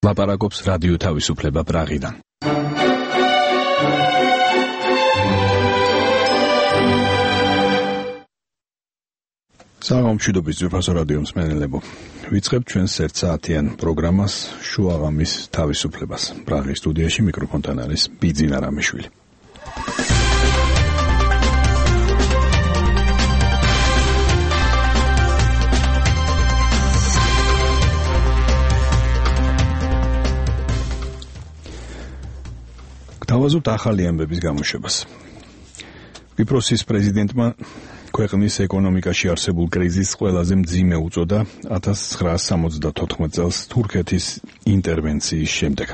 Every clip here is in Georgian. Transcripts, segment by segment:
ლაპარაკობს რადიო თავისუფლება პრაღიდან. სამშვიდობის ძვირფასო რადიო მსმენელებო. ვიწყებთ ჩვენს ერთსაათიან პროგრამას შუაღამის თავისუფლებას. პრაღის სტუდიაში მიკროფონთან არის ბიძინა რამიშვილი. დავაზუსტოთ ახალი ამბების გამოშვებას. კვიპროსის პრეზიდენტმა ქვეყნის ეკონომიკაში არსებულ კრიზისს ყველაზე მძიმე უწოდა 1974 წელს თურქეთის ინტერვენციის შემდეგ.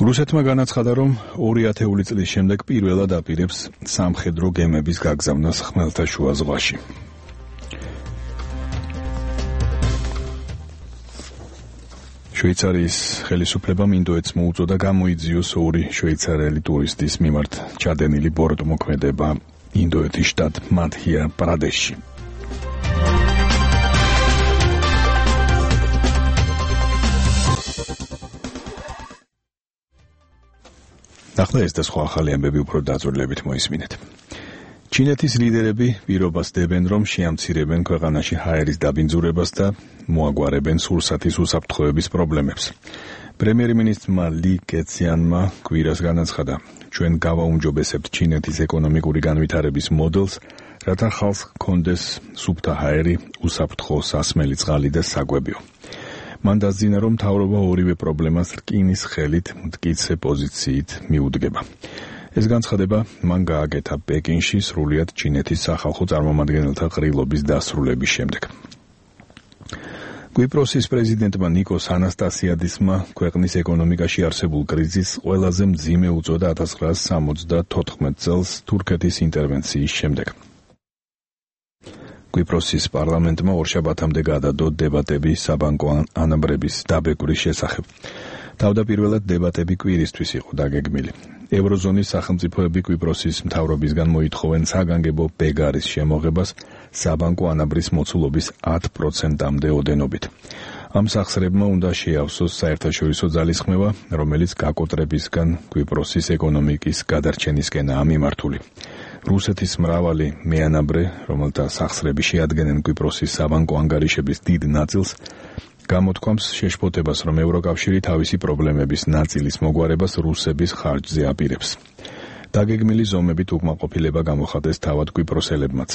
რუსეთმა განაცხადა, რომ 2 ათეული წლის შემდეგ პირველად აპირებს სამხედრო გემების გაგზავნას ხმელთაშუა ზღვაში. შვეიცარიის ხელისუფლებამ ინდოეთს მოუწოდა გამოიძიოს 2 შვეიცარიელი ტურისტის მიმართ ჩადენილი ბოროტმოქმედება ინდოეთის შტატ მადჰია პრადეშში. ახლა ეს და სხვა ახალი ამბები უფრო დაწვრილებით მოისმინეთ. ჩინეთის ლიდერები პირობას დებენ, რომ შეამცირებენ ქვეყანაში ჰაერის დაბინძურებას და მოაგვარებენ სურსათის უსაფრთხოების პრობლემებს. პრემიერ-მინისტრმა ლი კეციანმა კვირას განაცხადა, ჩვენ გავაუმჯობესებთ ჩინეთის ეკონომიკური განვითარების მოდელს, რათა ხალხს ჰქონდეს სუფთა ჰაერი, უსაფრთხო სასმელი წყალი და საკვებიო. მან დასძინა, რომ მთავრობა ორივე პრობლემას რკინის ხელით მტკიცე პოზიციით მიუდგება. ეს განცხადება მან გააკეთა პეკინში სრულიად ჩინეთის სახალხო წარმომადგენელთა ყრილობის დასრულების შემდეგ. კვიპროსის პრეზიდენტმა ნიკოს ანასტასიადისმა ქვეყნის ეკონომიკაში არსებულ კრიზისს ყველაზე მძიმე უწოდა 1974 წელს თურქეთის ინტერვენციის შემდეგ. კვიპროსის პარლამენტმა ორშაბათამდე გადადო დებატები საბანკო ანაბრების დაბეგვრის შესახებ. თავდაპირველად დებატები კვირისთვის იყო დაგეგმილი. ევროზონის სახელმწიფოები კვიპროსის მთავრობისგან მოითხოვენ საგანგებო ბეგარის შემოღებას საბანკო ანაბრის მოცულობის 10%-მდე ოდენობით. ამ სახსრებმა უნდა შეავსოს საერთაშორისო ძალისხმევა, რომელიც გაკოტრებისგან კვიპროსის ეკონომიკის გადარჩენისკენაა მიმართული. რუსეთის მრავალი მეანაბრე, რომელთა სახსრები შეადგენენ კვიპროსის საბანკო ანგარიშების დიდ ნაწილს, გამოთქვამს შეშფოთებას, რომ ევროკავშირი თავისი პრობლემების ნაწილის მოგვარებას რუსების ხარჯზე აპირებს. დაგეგმილი ზომებით უკმაყოფილება გამოხატეს თავად კვიპროსელებმაც.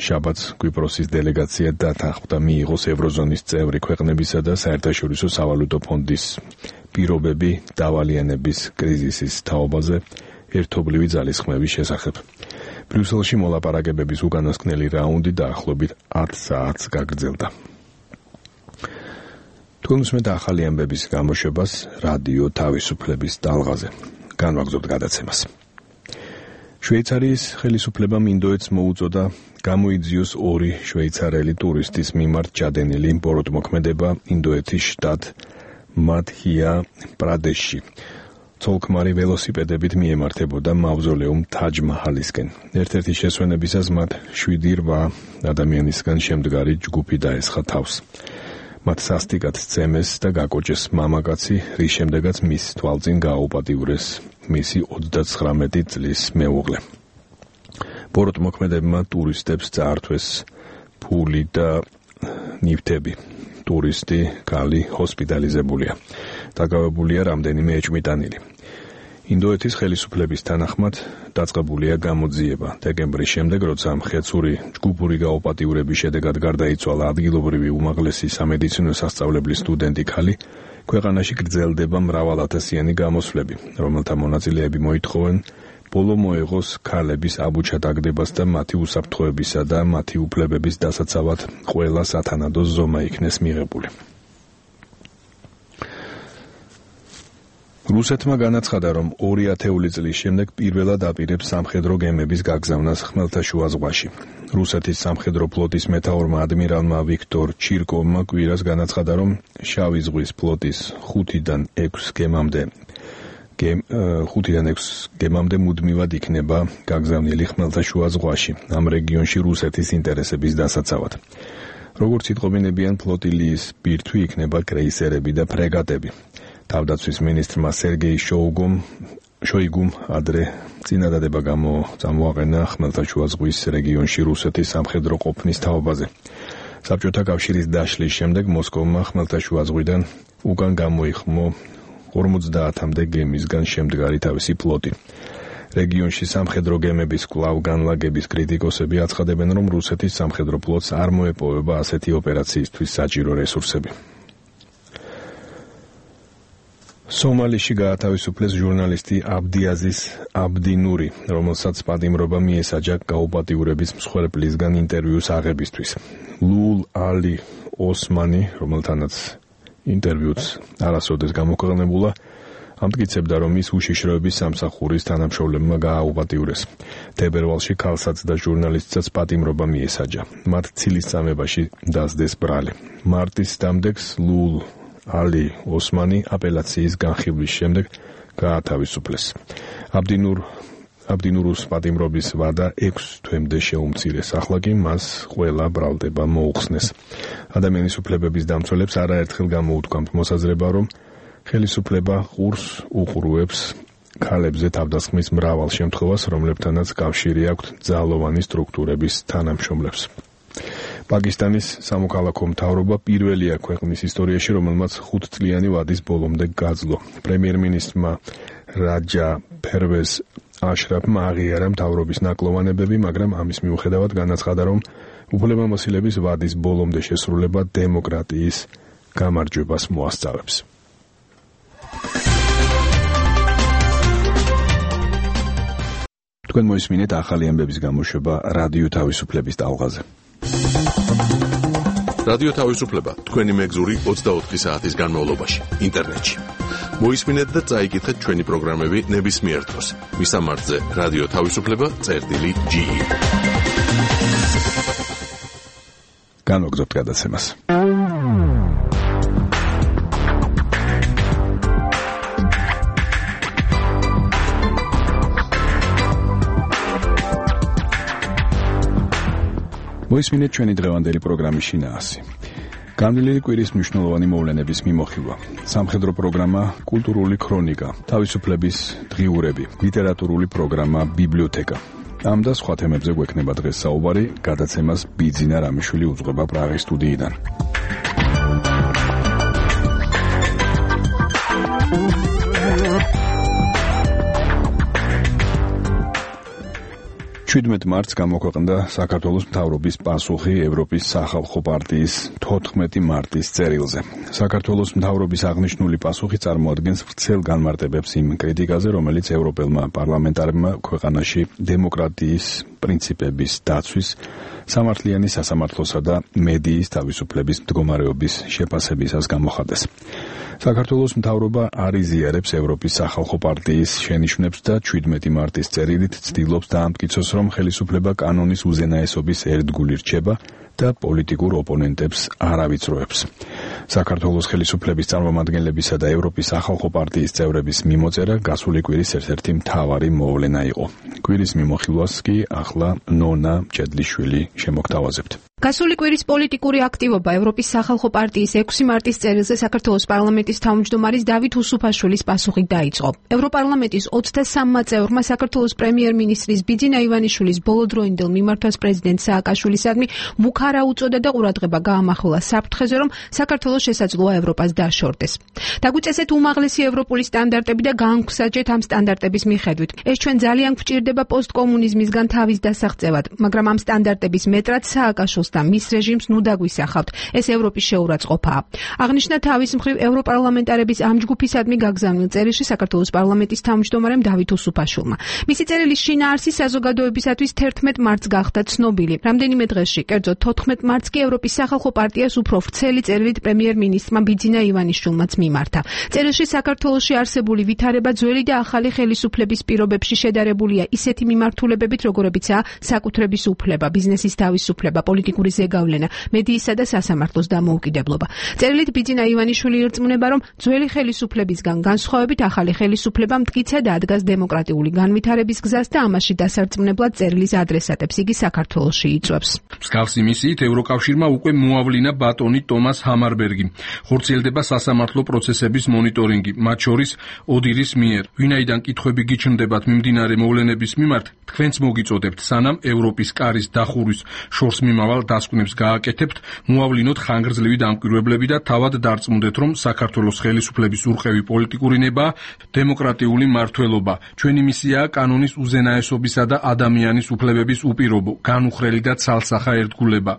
შაბათს კვიპროსის დელეგაცია დათანხმდა მიიღოს ევროზონის წევრი ქვეყნებისა და საერთაშორისო სავალუტო ფონდის პირობები დავალიანების კრიზისის თაობაზე ერთობლივი ძალისხმევის შესახებ. ბრიუსელში მოლაპარაკებების უკანასკნელი რაუნდი დაახლოებით 10 საათს გაგრძელდა. თუნდაც ახალი ამბების გამოშვებას რადიო თავისუფლების ტალღაზე. განვაგრძობთ გადაცემას. შვეიცარიის ხელისუფლებამ ინდოეთს მოუწოდა გამოიძიოს 2 შვეიცარიელი ტურისტის მიმართ ჩადენილი ბოროტმოქმედება ინდოეთის შტატ მადჰია პრადეშში. ცოლ-ქმარი ველოსიპედებით მიემართებოდა მავზოლეუმ თაჯ-მაჰალისკენ. ერთ-ერთი შესვენებისას მათ 7-8 ადამიანისგან შემდგარი ჯგუფი დაესხა თავს. მათ სასტიკად სცემეს და გაკოჭეს მამაკაცი, რის შემდეგაც მის თვალწინ გააუპატიურეს მისი 39 წლის მეუღლე. ბოროტმოქმედებმა ტურისტებს წაართვეს ფული და ნივთები. ტურისტი ქალი ჰოსპიტალიზებულია. დაკავებულია რამდენიმე ეჭვმიტანილი. ინდოეთის ხელისუფლების თანახმად დაწყებულია გამოძიება. დეკემბრის შემდეგ, როცა მხეცური ჯგუფური გაუპატიურების შედეგად გარდაიცვალა ადგილობრივი უმაღლესი სამედიცინო სასწავლებლის სტუდენტი ქალი, ქვეყანაში გრძელდება მრავალათასიანი გამოსვლები, რომელთა მონაწილეები მოითხოვენ ბოლო მოეღოს ქალების აბუჩადაგდებას და მათი უსაფრთხოებისა და მათი უფლებების დასაცავად ყველა სათანადო ზომა იქნეს მიღებული. რუსეთმა განაცხადა, რომ 2 ათეული წლის შემდეგ პირველად აპირებს სამხედრო გემების გაგზავნას ხმელთაშუა ზღვაში. რუსეთის სამხედრო ფლოტის მეთაურმა ადმირალმა ვიქტორ ჩირკოვმა კვირას განაცხადა, რომ შავი ზღვის ფლოტის 5-დან 6 გემამდე მუდმივად იქნება გაგზავნილი ხმელთაშუა ზღვაში, ამ რეგიონში რუსეთის ინტერესების დასაცავად. როგორც იტყობინებიან, ფლოტილიის ბირთვი იქნება კრეისერები და ფრეგატები. თავდაცვის მინისტრმა სერგეი შოიგუმ ადრე წინადადება გამოაყენა ხმელთაშუა ზღვის რეგიონში რუსეთის სამხედრო ყოფნის თაობაზე. საბჭოთა კავშირის დაშლის შემდეგ მოსკოვმა ხმელთაშუა ზღვიდან უკან გამოიხმო 50-მდე გემისგან შემდგარი თავისი ფლოტი. რეგიონში სამხედრო გემების კვლავ განლაგების კრიტიკოსები აცხადებენ, რომ რუსეთის სამხედრო ფლოტს არ მოეპოვება ასეთი ოპერაციისთვის საჭირო რესურსები. სომალიში გაათავისუფლეს ჟურნალისტი აბდიაზიზ აბდინური, რომელსაც პატიმრობა მიესაჯა გაუპატიურების მსხვერპლისგან ინტერვიუს აღებისთვის. ლულ ალი ოსმანი, რომელთანაც ინტერვიუც არასოდეს გამოქვეყნებულა, ამტკიცებდა, რომ ის უშიშროების სამსახურის თანამშრომლებმა გააუპატიურეს. თებერვალში ქალსაც და ჟურნალისტსაც პატიმრობა მიესაჯა. მათ ცილისწამებაში დასდეს ბრალი. მარტის დამდეგს ლულ ალი ოსმანი აპელაციის განხილვის შემდეგ გაათავისუფლეს. აბდინურუს პატიმრობის ვადა 6 თვემდე შეუმცირეს, ახლა კი მას ყველა ბრალდება მოუხსნეს. ადამიანის უფლებების დამცველებს არაერთხელ გამოუთქვამთ მოსაზრება, რომ ხელისუფლება ყურს უყურუებს ქალებზე თავდასხმის მრავალ შემთხვევას, რომლებთანაც კავშირი აქვთ ძალოვანი სტრუქტურების თანამშრომლებს. პაკისტანის სამოქალაქო მთავრობა პირველია ქვეყნის ისტორიაში, რომელმაც 5-წლიანი ვადის ბოლომდე გაძლო. პრემიერ-მინისტრმა რაჯა ფერვეზ აშრაფმა აღიარა მთავრობის ნაკლოვანებები, მაგრამ ამის მიუხედავად განაცხადა, რომ უფლებამოსილების ვადის ბოლომდე შესრულება დემოკრატიის გამარჯვებას მოასწავებს. თქვენ მოისმინეთ ახალი ამბების გამოშვება რადიო თავისუფლების ტალღაზე. რადიო თავისუფლება თქვენი მეგზური 24 საათის განმავლობაში ინტერნეტში. მოისმინეთ და წაიკითხეთ ჩვენი პროგრამები ნებისმიერ დროს. მისამართზე რადიო თავისუფლება.ge. განვაგრძობთ გადაცემას. მოისმინეთ ჩვენი დღევანდელი პროგრამის შინაარსი. განვლილი კვირის მნიშვნელოვანი მოვლენების მიმოხილვა. სამხედრო პროგრამა კულტურული ქრონიკა, თავისუფლების დღიურები, ლიტერატურული პროგრამა ბიბლიოთეკა. ამ და სხვა თემებზე გვექნება დღეს საუბარი, გადაცემას ბიძინა რამიშვილი უძღვება პრაღის სტუდიიდან. მარტს გამოქვეყნდა საქართველოს მთავრობის პასუხი ევროპის სახალხო პარტიის 14 მარტის წერილზე. საქართველოს მთავრობის აღნიშნული პასუხი წარმოადგენს ვრცელ განმარტებებს იმ კრიტიკაზე, რომელიც ევროპელმა პარლამენტარებმა ქვეყანაში დემოკრატიის პრინციპების დაცვის, სამართლიანი სასამართლოსა და მედიის თავისუფლების მდგომარეობის შეფასებისას გამოხატეს. საქართველოს მთავრობა არ იზიარებს ევროპის სახალხო პარტიის შენიშვნებს და 17 მარტის წერილით ცდილობს დაამტკიცოს, რომ ხელისუფლება კანონის უზენაესობის ერთგული რჩება და პოლიტიკურ ოპონენტებს არ ავიწროებს. საქართველოს ხელისუფლების წარმომადგენლებისა და ევროპის სახალხო პარტიის წევრების მიმოწერა გასული კვირის ერთ-ერთი მთავარი მოვლენა იყო. კვირის მიმოხილვას კი ახლა ნონა მჭედლიშვილი შემოგთავაზებთ. გასული კვირის პოლიტიკური აქტივობა ევროპის სახალხო პარტიის 6 მარტის წერილზე საქართველოს პარლამენტის თავმჯდომარის დავით უსუფაშვილის პასუხით დაიწყო. ევროპარლამენტის 23-მა წევრმა საქართველოს პრემიერ-მინისტრის ბიძინა ივანიშვილის ბოლოდროინდელ მიმართვას პრეზიდენტ სააკაშვილისადმი მუქარა უწოდა და ყურადღება გაამახვილა საფრთხეზე, რომ საქართველოს შესაძლოა ევროპას დაშორდეს. დაგვიწესეთ უმაღლესი ევროპული სტანდარტები და განგვსაჯეთ ამ სტანდარტების მიხედვით. ეს ჩვენ ძალიან გვჭირდება პოსტკომუნიზმისგან თავის დასაღწევად, მაგრამ ამ სტანდარტების მეტრად სააკაშვილს და მის რეჟიმს ნუ დაგვისახავთ. ეს ევროპის შეურაცხყოფაა. აღნიშნა თავის მხრივ ევროპარლამენტარების ამ ჯგუფისადმი გაგზავნილ წერილში საქართველოს პარლამენტის თავმჯდომარემ დავით უსუფაშვილმა. მისი წერილის შინაარსი საზოგადოებისათვის 11 მარტს გახდა ცნობილი. რამდენიმე დღეში, კერძოდ 14 მარტს კი ევროპის სახალხო პარტიას უფრო ვრცელი წერილით პრემიერ-მინისტრმა ბიძინა ივანიშვილმაც მიმართა. წერილში საქართველოში არსებული ვითარება ძველი და ახალი ხელისუფლების პირობებში შედარებულია ისეთი მიმართულებებით, როგორებიცაა საკუთრების უფლება, ბიზნესის თავისუფლება, პოლიტიკური პოლიტიკური ზეგავლენა, მედიისა და სასამართლოს დამოუკიდებლობა. წერილით ბიძინა ივანიშვილი ირწმუნება, რომ ძველი ხელისუფლებისგან განსხვავებით ახალი ხელისუფლება მტკიცედ ადგას დემოკრატიული განვითარების გზას და ამაში დასარწმუნებლად წერილის ადრესატებს იგი საქართველოში იწვევს. მსგავსი მისიით ევროკავშირმა უკვე მოავლინა ბატონი ტომას ჰამარბერგი. ხორციელდება სასამართლო პროცესების მონიტორინგი, მათ შორის ოდირის მიერ. ვინაიდან კითხვები გიჩნდებათ მიმდინარე მოვლენების მიმართ, თქვენც მოგიწოდებთ, სანამ ევროპის კარის დახურვის შორს მიმავალ დასკვნებს გააკეთებთ, მოავლინოთ ხანგრძლივი დამკვირვებლები და თავად დარწმუნდეთ, რომ საქართველოს ხელისუფლების ურყევი პოლიტიკური ნება, დემოკრატიული მმართველობა. ჩვენი მისიაა კანონის უზენაესობისა და ადამიანის უფლებების უპირობო, განუხრელი და ცალსახა ერთგულება.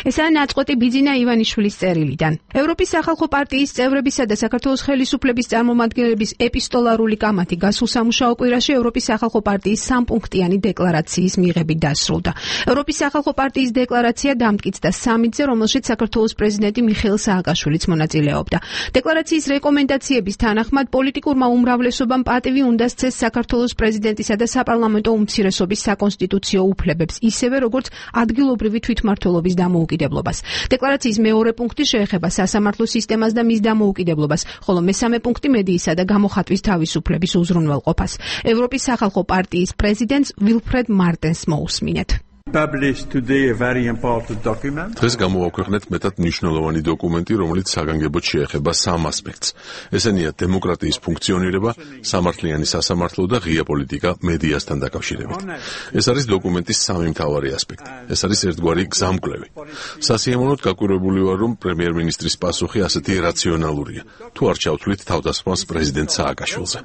ესაა ნაწყვეტი ბიძინა ივანიშვილის წერილიდან. ევროპის სახალხო პარტიის წევრებისა და საქართველოს ხელისუფლების წარმომადგენლების ეპისტოლარული კამათი გასულ სამუშაო კვირაში ევროპის სახალხო პარტიის სამპუნქტიანი დეკლარაციის მიღებით დასრულდა. ევროპის სახალხო პარტიის დეკლარაცია დამტკიცდა სამიტზე, რომელშიც საქართველოს პრეზიდენტი მიხეილ სააკაშვილიც მონაწილეობდა. დეკლარაციის რეკომენდაციების თანახმად პოლიტიკურმა უმრავლესობამ პატივი უნდა სცეს საქართველოს პრეზიდენტისა და საპარლამენტო უმცირესობის საკონსტიტუციო უფლებებს, ისევე როგორც ადგილობრივი თვითმმართველობის დამოუკიდებლობას. დეკლარაციის მეორე პუნქტი შეეხება სასამართლო სისტემას და მის დამოუკიდებლობას, ხოლო მესამე პუნქტი მედიისა და გამოხატვის თავისუფლების უზრუნველყოფას. ევროპის სახალხო პარტიის პრეზიდენტს ვილფრედ მარტენს მოусმინეთ. დღეს გამოვაქვეყნეთ მეტად მნიშვნელოვანი დოკუმენტი, რომელიც საგანგებოდ შეეხება სამ ასპექტს. ესენია დემოკრატიის ფუნქციონირება, სამართლიანი სასამართლო და ღია პოლიტიკა მედიასთან დაკავშირებით. ეს არის დოკუმენტის სამი მთავარი ასპექტი. ეს არის ერთგვარი გზამკვლევი. სასიამოვნოდ გაკვირვებული ვარ, რომ პრემიერ-მინისტრის პასუხი ასეთი რაციონალურია. თუ არ ჩავთვლით თავდასხმას პრეზიდენტ სააკაშვილზე.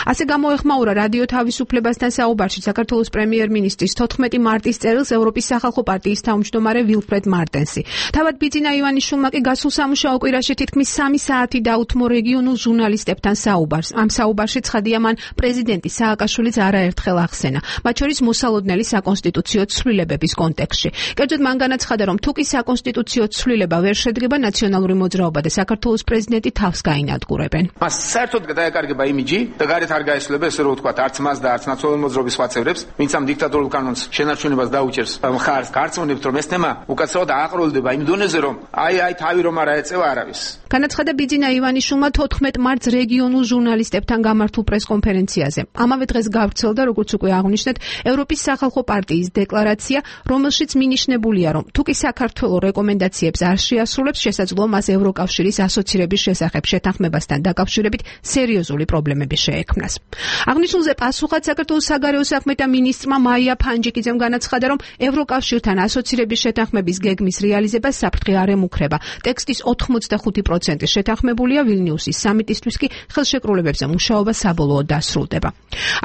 ასე გამოეხმაურა რადიო თავისუფლებასთან საუბარში საქართველოს პრემიერ-მინისტრის 14 მარტის წერილს ევროპის სახალხო პარტიის თავმჯდომარე ვილფრედ მარტენსი. თავად ბიძინა ივანიშვილმა კი გასულ სამუშაო კვირაში თითქმის 3 საათი დაუთმო რეგიონულ ჟურნალისტებთან საუბარს. ამ საუბარში ცხადია, მან პრეზიდენტი სააკაშვილიც არაერთხელ ახსენა, მათ შორის მოსალოდნელი საკონსტიტუციო ცვლილებების კონტექსტში. კერძოდ მან განაცხადა, რომ თუ კი საკონსტიტუციო ცვლილება ვერ შედგება, ნაციონალური მოძრაობა და საქართველოს პრეზიდენტი თავს გაინადგურებენ. მას საერთოდ გადაეკარგება იმიჯი და არ გაესწრება ესე რომ ვთქვა არც მას და არც ნაციონალური მოძრაობის სხვა წევრებს, ვინც ამ დიქტატორულ კანონს შენარჩუნებას დაუჭერს მხარს, გარწმუნებთ რომ ეს თემა უკაცრავად აყროლდება იმ დონეზე რომ აი თავი რომ არ აეწევა არავის. განაცხადა ბიძინა ივანიშვილმა 14 მარტს რეგიონულ ჟურნალისტებთან გამართულ პრესკონფერენციაზე. ამავე დღეს გავრცელდა, როგორც უკვე აღნიშნეთ, ევროპის სახალხო პარტიის დეკლარაცია, რომელშიც მინიშნებულია, რომ თუ კი საქართველო რეკომენდაციებს არ შეასრულებს, შესაძლოა მას ევროკავშირის ასოცირების შესახებ შეთანხმებასთან დაკავშირებით სერიოზული პრობლემები შეექმნას. აღნიშნულზე პასუხად საქართველოს საგარეო საქმეთა მინისტრმა მაია ფანჯიკიძემ განაცხადა, რომ ევროკავშირთან ასოცირების შეთანხმების გეგმის რეალიზებას საფრთხე არ ემუქრება. ტექსტის 85% შეთანხმებულია, ვილნიუსის სამიტისთვის კი ხელშეკრულებებზე მუშაობა საბოლოოდ დასრულდება.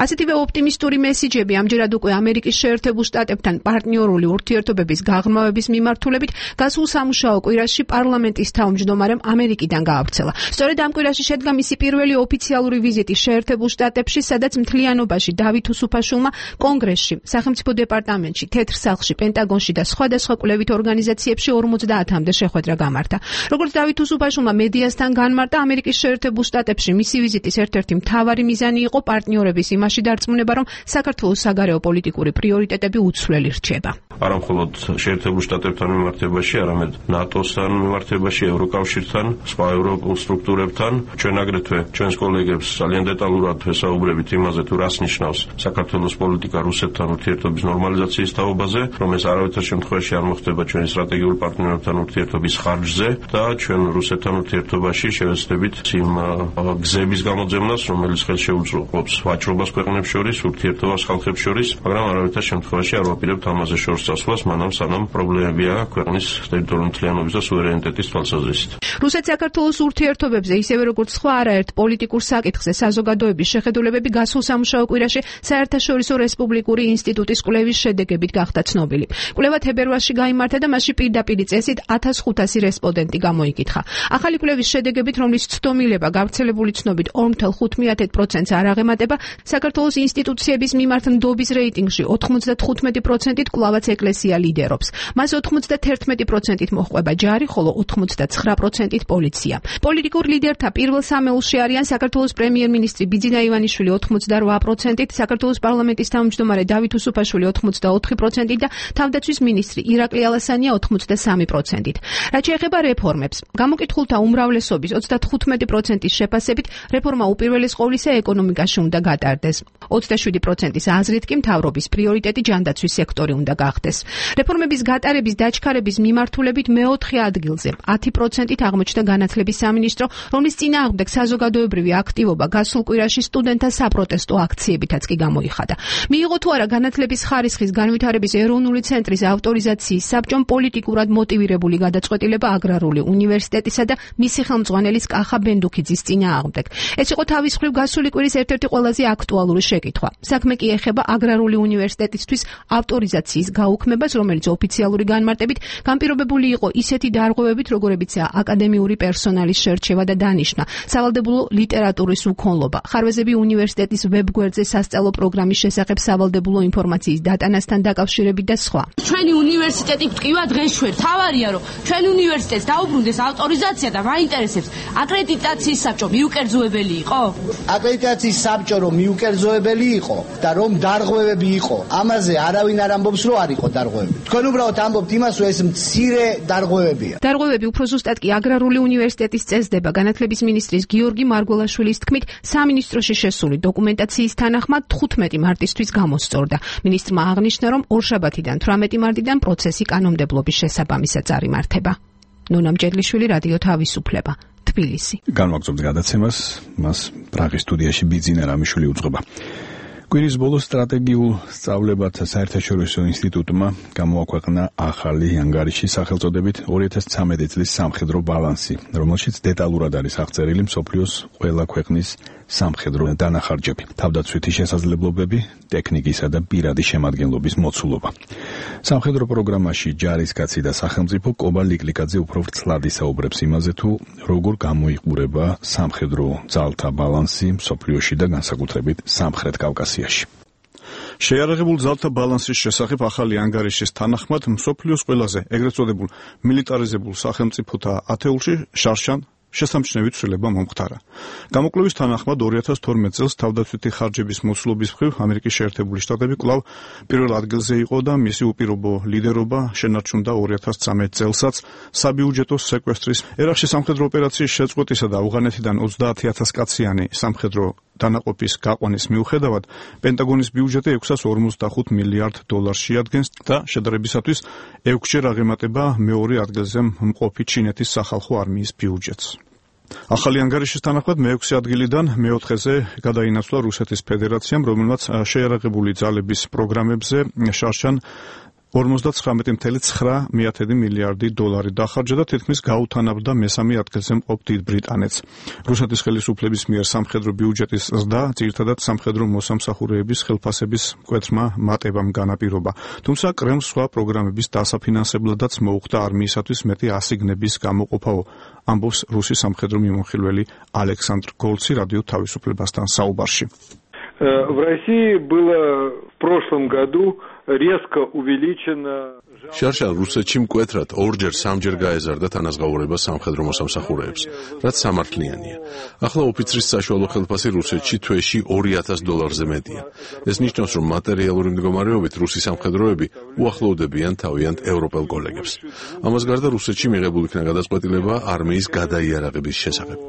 ასეთივე ოპტიმისტური მესიჯები ამჯერად უკვე ამერიკის შეერთებულ შტატებთან პარტნიორული ურთიერთობების გაღრმავების მიმართულებით გასულ სამუშაო კვირაში პარლამენტის თავმჯდომარემ ამერიკიდან გაავრცელა. სწორედ ამ კვირაში შედგა მისი პირველი ოფიციალური ვიზიტი შეერთებულ შტატებში, სადაც მთლიანობაში დავით უსუფაშვილმა კონგრესში, სახელმწიფო დეპარტამენტში, თეთრ სახლში, პენტაგონში და სხვადასხვა კვლევით ორგანიზაციებში 50-მდე შეხვედრა გამართა. როგორც დავით უსუფაშვილმა მედიასთან განმარტა, ამერიკის შეერთებულ შტატებში მისი ვიზიტის ერთ-ერთი მთავარი მიზანი იყო პარტნიორების იმაში დარწმუნება, რომ საქართველოს საგარეო პოლიტიკური პრიორიტეტები უცვლელი რჩება. არა მხოლოდ შეერთებულ შტატებთან მიმართებაში, არამედ ნატოსთან მიმართებაში, ევროკავშირთან, სხვა ევროპულ სტრუქტურებთან. ჩვენ აგრეთვე ჩვენს კოლეგებს ძალიან დეტალურად ვესაუბრებით იმაზე, თუ რას ნიშნავს საქართველოს პოლიტიკა რუსეთთან ურთიერთობის ნორმალიზაციის თაობაზე, რომ ეს არავითარ შემთხვევაში არ მოხდება ჩვენი სტრატეგიულ პარტნიორებთან ურთიერთობის ხარჯზე და ჩვენ რუსეთთან ურთიერთობაში შევეცდებით იმ გზების გამოძებნას, რომელიც ხელშეუწყობს ვაჭრობას ქვეყნებს შორის, ურთიერთობას ხალხებს შორის, მაგრამ არავითარ შემთხვევაში არ ვაპირებთ ამაზე შორს წასვლას, მანამ სანამ პრობლემებია ქვეყნის ტერიტორიული მთლიანობის და სუვერენიტეტის თვალსაზრისით. რუსეთ-საქართველოს ურთიერთობებზე, ისევე როგორც სხვა არაერთ პოლიტიკურ საკითხზე საზოგადოების შეხედულებები გასულ სამუშაო კვირაში საერთაშორისო რესპუბლიკური ინსტიტუტის კვლევის შედეგებით გახდა ცნობილი. კვლევა თებერვალში გაიმართა და მასში პირდაპირ წესით 1500 რესპონდენტი გამოიკითხა. ახალი კვლევის შედეგებით, რომლის ცდომილება გავრცელებული ცნობით 4.5%-ს არ აღემატება, საქართველოს ინსტიტუციების მიმართ ნდობის რეიტინგში 95%-ით კვლავაც ეკლესია ლიდერობს. მას 91%-ით მოჰყვება ჯარი, ხოლო 89%-ით პოლიცია. პოლიტიკურ ლიდერთა პირველ სამეულში არიან საქართველოს პრემიერ-მინისტრი ბიძინა ირინა ივანიშვილი 88%-ით, საქართველოს პარლამენტის თავმჯდომარე დავით უსუფაშვილი 84%-ით და თავდაცვის მინისტრი ირაკლი ალასანია 83%-ით. რაც შეეხება რეფორმებს, გამოკითხულთა უმრავლესობის 95%-ის შეფასებით რეფორმა უპირველეს ყოვლისა ეკონომიკაში უნდა გატარდეს. 27%-ის აზრით კი მთავრობის პრიორიტეტი ჯანდაცვის სექტორი უნდა გახდეს. რეფორმების გატარების დაჩქარების მიმართულებით მეოთხე ადგილზე 10%-ით აღმოჩნდა განათლების სამინისტრო, რომლის წინააღმდეგ საზოგადოებრივი აქტივობა გასულ კვირაში სტუდენტთა საპროტესტო აქციებითაც კი გამოიხადა. მიიღო თუ არა განათლების ხარისხის განვითარების ეროვნული ცენტრის ავტორიზაციის საბჭომ პოლიტიკურად მოტივირებული გადაწყვეტილება აგრარული უნივერსიტეტისა და მისი ხელმძღვანელის კახა ბენდუქიძის წინააღმდეგ. ეს იყო თავის მხრივ გასული კვირის ერთ-ერთი ყველაზე აქტუალური შეკითხვა. საქმე კი ეხება აგრარული უნივერსიტეტისთვის ავტორიზაციის გაუქმებას, რომელიც ოფიციალური განმარტებით განპირობებული იყო ისეთი დარღვევებით, როგორებიცაა აკადემიური პერსონალის შერჩევა და დანიშვნა, სავალდებულო ლიტერატურის უქონლობა, ხარვეზები უნივერსიტეტის ვებგვერდზე სასწავლო პროგრამის შესახებ სავალდებულო ინფორმაციის დატანასთან დაკავშირებით და სხვა. ჩვენი უნივერსიტეტი გვტკივა დღეს შვერ. თავარია რომ ჩვენ უნივერსიტეტს დაუბრუნდეს ავტორიზაცია და მაინტერესებს აკრედიტაციის საბჭო მიუკერძოებელი იყო? აკრედიტაციის საბჭო რომ მიუკერძოებელი იყო და რომ დარღვევები იყო, ამაზე არავინ არ ამბობს რომ არ იყო დარღვევები. თქვენ უბრალოდ ამბობთ იმას რომ ეს მცირე დარღვევებია. დარღვევები უფრო ზუსტად კი აგრარული უნივერსიტეტის წესდება. განათლების მინისტრის გიორგი მარგველაშვილის თქმით, სამინისტროში შესული დოკუმენტაციის თანახმად 15 მარტისთვის გამოსწორდა. მინისტრმა აღნიშნა, რომ ორშაბათიდან 18 მარტიდან პროცესი კანონმდებლობის შესაბამისად წარიმართება. ნონა მჭედლიშვილი, რადიო თავისუფლება, თბილისი. განვაგრძობთ გადაცემას, მას პრაღის სტუდიაში ბიძინა რამიშვილი უძღვება. კვირის ბოლოს სტრატეგიულ სწავლებათა საერთაშორისო ინსტიტუტმა გამოაქვეყნა ახალი ანგარიში სახელწოდებით 2013 წლის სამხედრო ბალანსი, რომელშიც დეტალურად არის აღწერილი მსოფლიოს ყველა ქვეყნის სამხედრო დანახარჯები, თავდაცვითი შესაძლებლობები, ტექნიკისა და პირადი შემადგენლობის მოცულობა. სამხედრო პროგრამაში ჯარისკაცი და სახელმწიფო კობა ლიკლიკაძე უფრო ვრცლად ისაუბრებს იმაზე, თუ როგორ გამოიყურება სამხედრო ძალთა ბალანსი მსოფლიოში და განსაკუთრებით სამხრეთ კავკასიაში. შეიარაღებულ ძალთა ბალანსის შესახებ ახალი ანგარიშის თანახმად მსოფლიოს ყველაზე ეგრეთ წოდებულ მილიტარიზებულ სახელმწიფოთა ათეულში შარშან შესამჩნევი ცვლილება მომხდარა. გამოკვლევის თანახმად 2012 წელს თავდაცვითი ხარჯების მოცულობის მხრივ ამერიკის შეერთებული შტატები კვლავ პირველ ადგილზე იყო და მისი უპირობო ლიდერობა შენარჩუნდა 2013 წელსაც საბიუჯეტო სეკვესტრის ერაყში სამხედრო ოპერაციის შეწყვეტისა და ავღანეთიდან 30,000 კაციანი სამხედრო დანაყოფის გაყვანის მიუხედავად პენტაგონის ბიუჯეტი 645 მილიარდ დოლარს შეადგენს და შედარებისათვის 6-ჯერ აღემატება მეორე ადგილზე მყოფი ჩინეთის სახალხო არმიის ბიუჯეტს. ახალი ანგარიშის თანახმად მე-6 ადგილიდან მე-4-ზე გადაინაცვლა რუსეთის ფედერაციამ, რომელმაც შეიარაღებული ძალების პროგრამებზე შარშან 59,9 მილიარდი დოლარი დახარჯა და თითქმის გაუთანაბდა მესამე ადგილზე მყოფ დიდ ბრიტანეთს. რუსეთის ხელისუფლების მიერ სამხედრო ბიუჯეტის ზრდა ძირითადად სამხედრო მოსამსახურეების ხელფასების მკვეთრმა მატებამ განაპირობა. თუმცა კრემლს სხვა პროგრამების დასაფინანსებლადაც მოუხდა არმიისათვის მეტი ასიგნების გამოყოფაო, ამბობს რუსი სამხედრო მიმოხილველი ალექსანდრ გოლცი რადიო თავისუფლებასთან საუბარში. В России было в прошлом году резко увеличено შარშან რუსეთში მკვეთრად ორჯერ-სამჯერ გაეზარდა თანაზღაურება სამხედრო მოსამსახურეებს, რაც სამართლიანია. ახლა ოფიცრის საშუალო ხელფასი რუსეთში თვეში $2,000-ზე მეტია. ეს ნიშნავს, რომ მატერიალური მდგომარეობით რუსი სამხედროები უახლოვდებიან თავიანთ ევროპელ კოლეგებს. ამას გარდა რუსეთში მიღებულ იქნა გადაწყვეტილება არმიის გადაიარაღების შესახებ.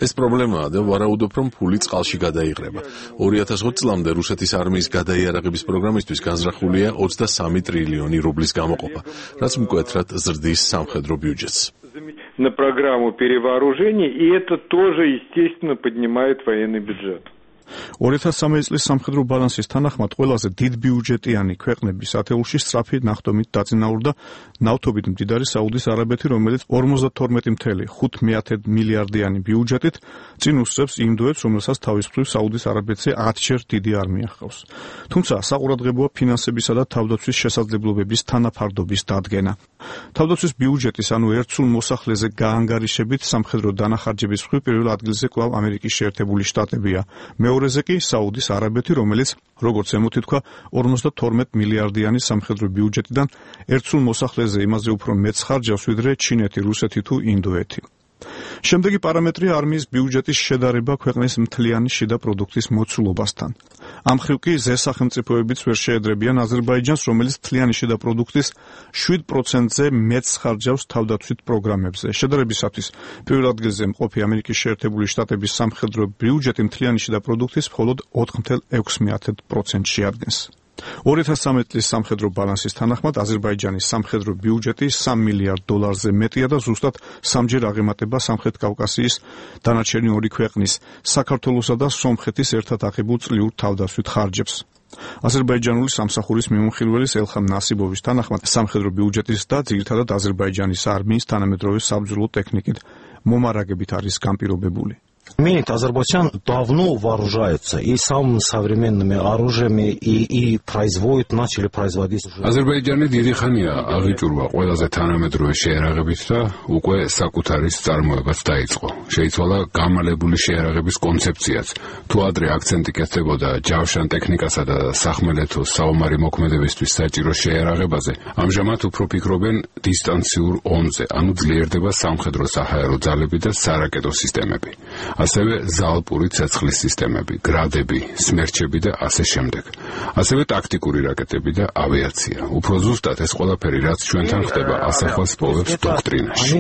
ეს პრობლემაა და ვარაუდობ, რომ ფული წყალში გადაიღრება. 2020 წლამდე რუსეთის არმიის გადაიარაღების პროგრამისთვის განზრახულია 23 ტრილიონი რუბლის გამოყოფა, რაც მკვეთრად ზრდის სამხედრო ბიუჯეტს. На программу перевооружения, и это тоже, естественно, поднимает военный бюджет. 2013 წლის სამხედრო ბალანსის თანახმად ყველაზე დიდ ბიუჯეტიანი ქვეყნების ათეულში სწრაფი ნახტომით დაწინაურდა ნავთობით მდიდარი საუდის არაბეთი, რომელიც 52,5 მილიარდიანი ბიუჯეტით წინ უსწრებს ინდოეთს, რომელსაც თავის მხრივ საუდის არაბეთზე 10-ჯერ დიდი არმია ჰყავს. თუმცა საყურადღებოა ფინანსებისა და თავდაცვის შესაძლებლობების თანაფარდობის დადგენა. თავდაცვის ბიუჯეტის, ანუ ერთსულ მოსახლეზე გაანგარიშებით სამხედრო დანახარჯების მხრივ პირველ ადგილზე კვლავ ამერიკის შეერთებული შტატებია. მეორეზე კი საუდის არაბეთი, რომელიც, როგორც ემოთი თქვა, 52 მილიარდიანი სამხედრო ბიუჯეტიდან ერთსულ მოსახლეზე იმაზე უფრო მეტს ხარჯავს, ვიდრე ჩინეთი, რუსეთი თუ ინდოეთი. შემდეგი პარამეტრია არმიის ბიუჯეტის შედარება ქვეყნის მთლიანი შიდა პროდუქტის მოცულობასთან. ამ მხრივ კი ზესახელმწიფოებიც ვერ შეედრებიან აზერბაიჯანს, რომელიც მთლიანი შიდა პროდუქტის 7%-ზე მეც ხარჯავს თავდაცვით პროგრამებზე. შედარებისათვის, პირველ ადგილზე მყოფი ამერიკის შეერთებული შტატების სამხედრო ბიუჯეტი მთლიანი შიდა პროდუქტის მხოლოდ 4,6% შეადგენს. 2013 წლის სამხედრო ბალანსის თანახმად აზერბაიჯანის სამხედრო ბიუჯეტი $3 მილიარდზე მეტია და ზუსტად სამჯერ აღემატება სამხრეთ კავკასიის დანარჩენი ორი ქვეყნის, საქართველოსა და სომხეთის ერთად აღებულ წლიურ თავდაცვით ხარჯებს. აზერბაიჯანული სამსახურის მიმოხილველის ელხამ ნასიბოვის თანახმად სამხედრო ბიუჯეტის და ძირითადად აზერბაიჯანის არმიის თანამედროვე საბრძოლო ტექნიკით მომარაგებით არის განპირობებული. Имеет Азербайджан давно вооружается и самыми современными оружиями и начали производить. Азербайджანი დიდი ხანია აღიჭურვა ყველაზე თანამედროვე შეერაღებით და უკვე საკუთარის წარმოებაც დაიწყო. შეიცვალა გამალებული შეერაღების კონცეფციაც. თუ ადრე აქცენტი კეთდებოდა ჯავშან ტექნიკასა და სახმელეთო საომარი მოქმედებისთვის საჭირო შეერაღებაზე, ამჟამად უფრო ფიქრობენ დისტანციურ ომზე, ანუ ძლიერდება სამხედრო საჰაერო ძალები და სარაკეტო სისტემები. ასევე ზალპური ცეცხლის სისტემები, გრადები, სმერჩები და ასე შემდეგ. ასევე ტაქტიკური რაკეტები და ავიაცია. უფრო ზუსტად ეს ყველაფერი, რაც ჩვენთან ხდება, ასახავს პოვებს დოქტრინაში.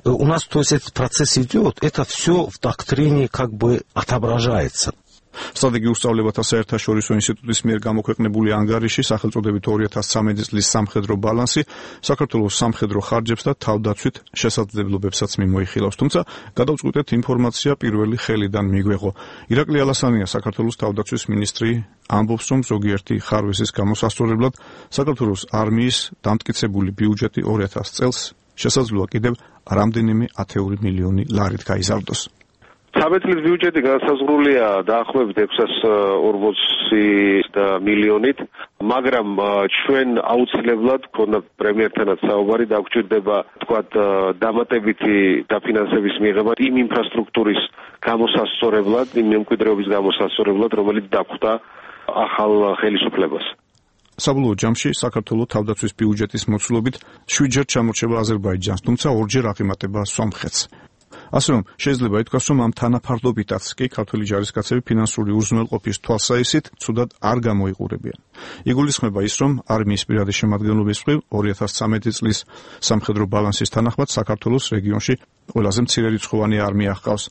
У нас, то есть, этот процесс идет, это все в доктрине как бы отображается. სტრატეგიულ სწავლებათა საერთაშორისო ინსტიტუტის მიერ გამოქვეყნებული ანგარიში სახელწოდებით 2013 წლის სამხედრო ბალანსი საქართველოს სამხედრო ხარჯებს და თავდაცვით შესაძლებლობებსაც მიმოიხილავს. თუმცა გადავწყვიტეთ ინფორმაცია პირველი ხელიდან მიგვეღო. ირაკლი ალასანია, საქართველოს თავდაცვის მინისტრი, ამბობს, რომ ზოგიერთი ხარვესის გამოსასწორებლად საქართველოს არმიის დამტკიცებული ბიუჯეტი 2000 წელს შესაძლოა კიდევ რამდენიმე 10 მილიონი ლარით გაიზარდოს. 13 წლის ბიუჯეტი განსაზღვრულია დაახლოებით 640 მილიონით, მაგრამ ჩვენ აუცილებლად ქონდა პრემიერთანაც საუბარი დაგვჭირდება თქვათ დამატებითი დაფინანსების მიღება იმ ინფრასტრუქტურის გამოსასწორებლად, იმ მემკვიდრეობის გამოსასწორებლად, რომელიც დაგვხვდა ახალ ხელისუფლებას. საბოლოო ჯამში საქართველოს თავდაცვის ბიუჯეტის მოცულობით 7-ჯერ ჩამორჩება აზერბაიჯანს, თუმცა 2-ჯერ აღემატება სომხეთს. ასე რომ შეიძლება ითქვას, რომ ამ თანაფარდობითაც კი ქართველი ჯარისკაცები ფინანსური უზრუნველყოფის თვალსაჩინით ცუდად არ გამოიყურებიან. იგულისხმება ის, რომ არმიის პირადი შემადგენლობის მხრივ 2013 წლის სამხედრო ბალანსის თანახმად საქართველოს რეგიონში ყველაზე მცირერიცხოვანი არმია ჰყავს.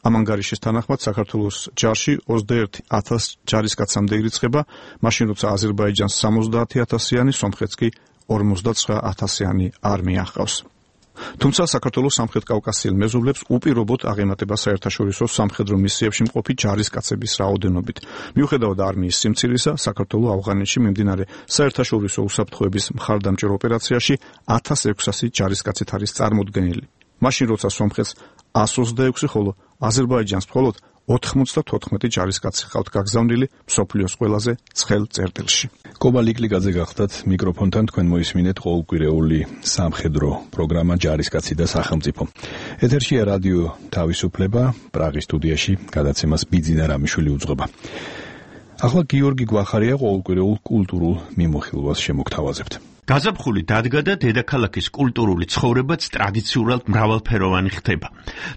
ამ ანგარიშის თანახმად საქართველოს ჯარში 21,000 ჯარისკაცამდე ირიცხება, მაშინ როცა აზერბაიჯანს 70,000-იანი, სომხეთს კი 59,000-იანი არმია ჰყავს. თუმცა საქართველოს სამხრეთ კავკასიელ მეზობლებს უპირობოდ აღემატება საერთაშორისო სამხედრო მისიებში მყოფი ჯარისკაცების რაოდენობით. მიუხედავად არმიის სიმცირისა, საქართველოს ავღანეთში მიმდინარე საერთაშორისო უსაფრთხოების მხარდამჭერ ოპერაციაში 1600 ჯარისკაცით არის წარმოდგენილი. მაშინ როცა სომხეთს 126, ხოლო აზერბაიჯანს მხოლოდ 94 ჯარისკაცი ჰყავთ გაგზავნილი მსოფლიოს ყველაზე ცხელ წერტილში. კობა ლიკლიკაძე გახდათ მიკროფონთან, თქვენ მოისმინეთ ყოველკვირეული სამხედრო პროგრამა ჯარისკაცი და სახელმწიფო. ეთერშია რადიო თავისუფლება, პრაღის სტუდიაში გადაცემას ბიძინა რამიშვილი უძღვება. ახლა გიორგი გვახარია ყოველკვირეულ კულტურულ მიმოხილვას შემოგთავაზებთ. გაზაფხული დადგა და დედაქალაქის კულტურული ცხოვრებაც ტრადიციულად მრავალფეროვანი ხდება.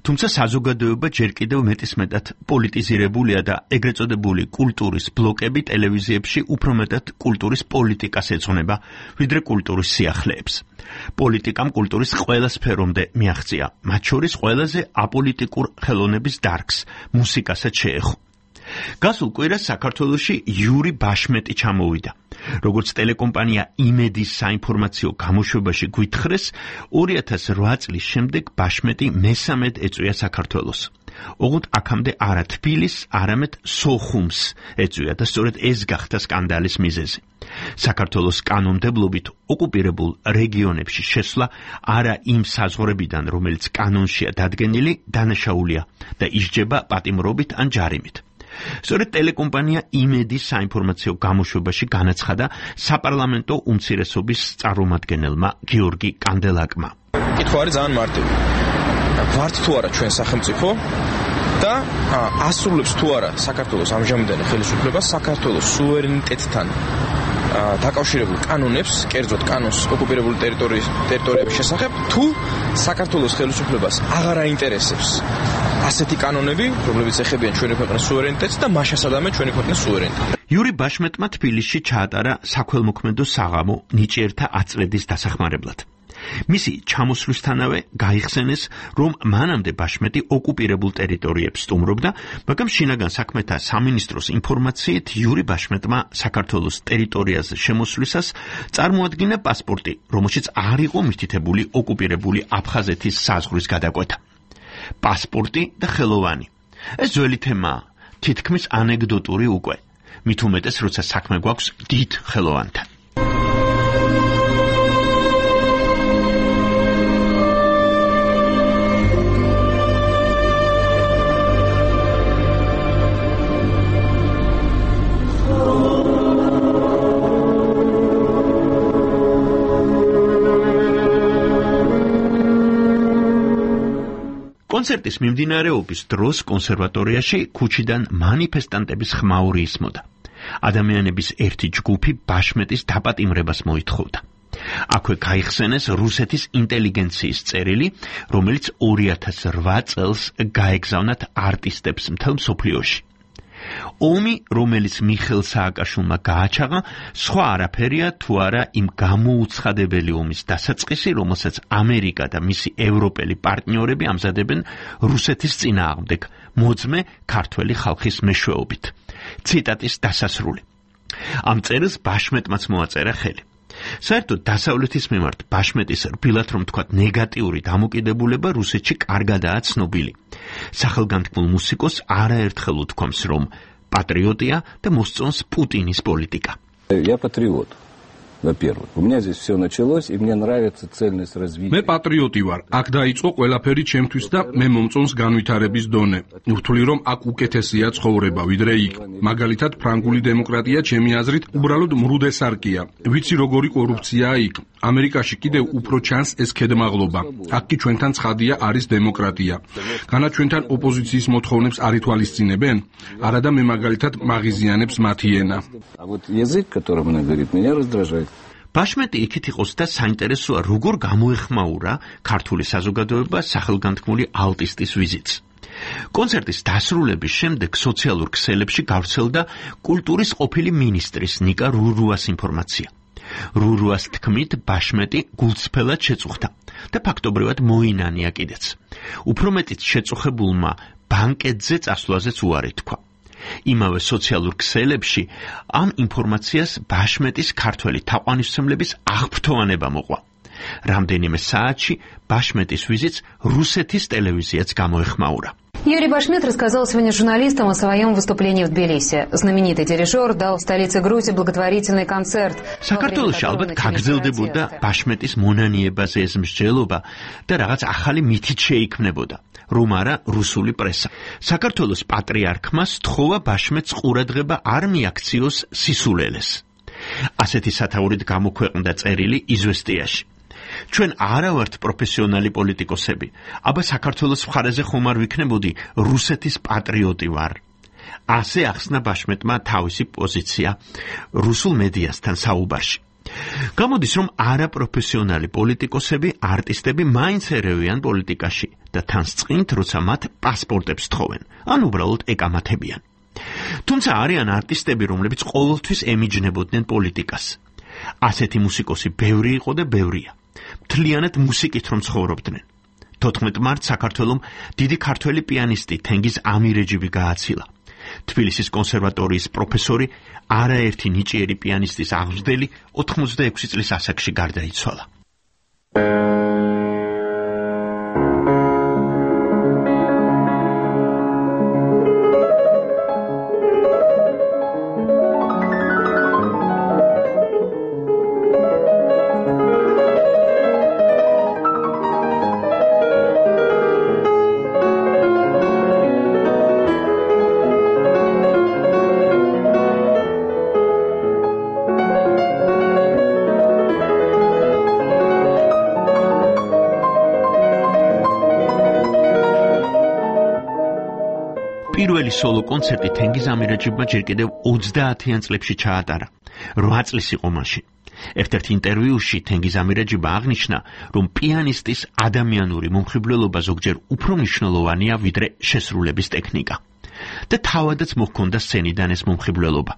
თუმცა საზოგადოება ჯერ კიდევ მეტისმეტად პოლიტიზირებულია და ეგრეთ წოდებული კულტურის ბლოკები ტელევიზიებში უფრო მეტად კულტურის პოლიტიკას ეძღვნება, ვიდრე კულტურის სიახლეებს. პოლიტიკამ კულტურის ყველა სფერომდე მიაღწია, მათ შორის ყველაზე აპოლიტიკურ ხელოვნების დარგს, მუსიკასაც შეეხო. გასულ კვირას საქართველოში იური ბაშმეტი ჩამოვიდა. როგორც ტელეკომპანია იმედის საინფორმაციო გამოშვებაში გვითხრეს, 2008 წლის შემდეგ ბაშმეტი მესამედ ეწვია საქართველოს. ოღონდ აქამდე არა თბილისს, არამედ სოხუმს ეწვია და სწორედ ეს გახდა სკანდალის მიზეზი. საქართველოს კანონმდებლობით ოკუპირებულ რეგიონებში შესვლა არა იმ საზღვრებიდან, რომელიც კანონშია დადგენილი, დანაშაულია და ისჯება პატიმრობით ან ჯარიმით. სწორედ ტელეკომპანია იმედის საინფორმაციო გამოშვებაში განაცხადა საპარლამენტო უმცირესობის წარმომადგენელმა გიორგი კანდელაკმა. კითხვა არის ძალიან მარტივი. ვართ თუ არა ჩვენ სახელმწიფო და ასრულებს თუ არა საქართველოს ამჟამინდელი ხელისუფლება საქართველოს სუვერენიტეტთან დაკავშირებულ კანონებს, კერძოდ კანონს ოკუპირებული ტერიტორიების შესახებ, თუ საქართველოს ხელისუფლებას აღარ აინტერესებს ასეთი კანონები, რომლებიც ეხებიან ჩვენი ქვეყნის სუვერენიტეტს და მასშტაბებენ ჩვენი ქვეყნის სუვერენიტეტს. იური ბაშმეტმა თბილისში ჩაატარა საქველმოქმედო საღამო ნიჭიერთა აწმედის დასახმარებლად. მისი ჩამოსვლისთანავე გაიხსენეს, რომ მანამდე ბაშმეტი ოკუპირებულ ტერიტორიებს სტუმრობდა, მაგრამ შინაგან საქმეთა სამინისტროს ინფორმაციით იური ბაშმეტმა საქართველოს ტერიტორიაზე შემოსვლისას წარმოადგინა პასპორტი, რომელშიც არ იყო მითითებული ოკუპირებული აფხაზეთის საზღვრის გადაკვეთა. პასპორტი და ხელოვანი. ეს ძველი თემაა, თითქმის ანეკდოტური უკვე. მით უმეტეს, როცა საქმე გვაქვს დიდ ხელოვანთან. კონცერტის მიმდინარეობის დროს კონსერვატორიაში ქუჩიდან მანიფესტანტების ხმაური ისმოდა. ადამიანების ერთი ჯგუფი ბაშმეტის დაპატიმრებას მოითხოვდა. აქვე გაიხსენეს რუსეთის ინტელიგენციის წერილი, რომელიც 2008 წელს გაეგზავნათ არტისტებს მთელ მსოფლიოში. ომი, რომელიც მიხეილ სააკაშვილმა გააჩაღა, სხვა არაფერია თუ არა იმ გამოუცხადებელი ომის დასაწყისი, რომელსაც ამერიკა და მისი ევროპელი პარტნიორები ამზადებენ რუსეთის წინააღმდეგ, მოძმე ქართველი ხალხის მეშვეობით. ციტატის დასასრული. ამ წერილს ბაშმეტმაც მოაწერა ხელი. საერთოდ დასავლეთის მიმართ ბაშმეტის რბილად რომ თქვათ ნეგატიური დამოკიდებულება რუსეთში კარგადაა ცნობილი. სახელგანთქმულ მუსიკოს არაერთხელ უთქვამს, რომ პატრიოტია და მოსწონს პუტინის პოლიტიკა. Я патриот. Во-первых, у меня здесь все началось, и мне нравится цельность развития. მე პატრიოტი ვარ. აქ დაიწყო ყველაფერი ჩემთვის და მე მომწონს განვითარების დონე. ვთვლი რომ აქ უკეთესია ცხოვრება, ვიდრე იქ. მაგალითად, ფრანგული დემოკრატია ჩემი აზრით უბრალოდ მრუდესარკია. ვიცი როგორი კორუფციაა იქ. ამერიკაში კიდევ უფრო ჩანს ეს ქედმაღლობა. აქ კი ჩვენთან ცხადია არის დემოკრატია. განა ჩვენთან ოპოზიციის მოთხოვნებს არ ითვალისწინებენ? არადა მე მაგალითად მაღიზიანებს მათი ენა. А вот язык, которым она говорит, меня раздражает. ბაშმეტი იქით იყოს და საინტერესოა, როგორ გამოეხმაურა ქართული საზოგადოება სახელგანთქმული ალტისტის ვიზიტს. კონცერტის დასრულების შემდეგ სოციალურ ქსელებში გავრცელდა კულტურის ყოფილი მინისტრის ნიკა რურუას ინფორმაცია. რურუას თქმით, ბაშმეტი გულწრფელად შეწუხდა და ფაქტობრივად მოინანია კიდეც. უფრო მეტიც შეწუხებულმა ბანკეტზე წასვლაზეც უარი თქვა. იმავე სოციალურ ქსელებში ამ ინფორმაციას ბაშმეტის ქართველი თაყვანისმცემლების აღფრთოვანება მოყვა. რამდენიმე საათში ბაშმეტის ვიზიტს რუსეთის ტელევიზიაც გამოეხმაურა. Юрий Башмет рассказал сегодня журналистам о своем выступлении в Тбилиси. Знаменитый дирижер дал в столице Грузии благотворительный концерт. საქართველოში ალბათ გაგრძელდებოდა ბაშმეტის მონანიებაზე ეს მსჯელობა და რაღაც ახალი მითით შეიქმნებოდა. რომ არა რუსული პრესა. საქართველოს პატრიარქმა სთხოვა ბაშმეტს ყურადღება არ მიაქციოს სისულელეს. ასეთი სათაურით გამოქვეყნდა წერილი იზვესტიაში. ჩვენ არა ვართ პროფესიონალი პოლიტიკოსები, აბა საქართველოს მხარეზე ხომ არ ვიქნებოდი რუსეთის პატრიოტი ვარ. ასე ახსნა ბაშმეტმა თავისი პოზიცია რუსულ მედიასთან საუბარში. გამოდის, რომ არაპროფესიონალი პოლიტიკოსები, არტისტები მაინც ერევიან პოლიტიკაში და თან წყინთ, როცა მათ პასპორტებს თხოვენ, ან უბრალოდ ეკამათებიან. თუმცა არიან არტისტები, რომლებიც ყოველთვის ემიჯნებოდნენ პოლიტიკას. ასეთი მუსიკოსი ბევრი იყო და ბევრია. მთლიანად მუსიკით რომ ცხოვრობდნენ. 14 მარტს საქართველომ დიდი ქართველი პიანისტი თენგიზ ამირეჯიბი გააცილა. თბილისის კონსერვატორიის პროფესორი, არაერთი ნიჭიერი პიანისტის აღმზრდელი 86 წლის ასაკში გარდაიცვალა. პირველი სოლო კონცერტი თენგიზ ამირეჯიბმა ჯერ კიდევ 30-იან წლებში ჩაატარა. 8 წლის იყო მაშინ. ერთ-ერთ ინტერვიუში თენგიზ ამირაჯიბა აღნიშნა, რომ პიანისტის ადამიანური მომხიბვლელობა ზოგჯერ უფრო მნიშვნელოვანია ვიდრე შესრულების ტექნიკა. და თავადაც მოჰქონდა სცენიდან ეს მომხიბვლელობა.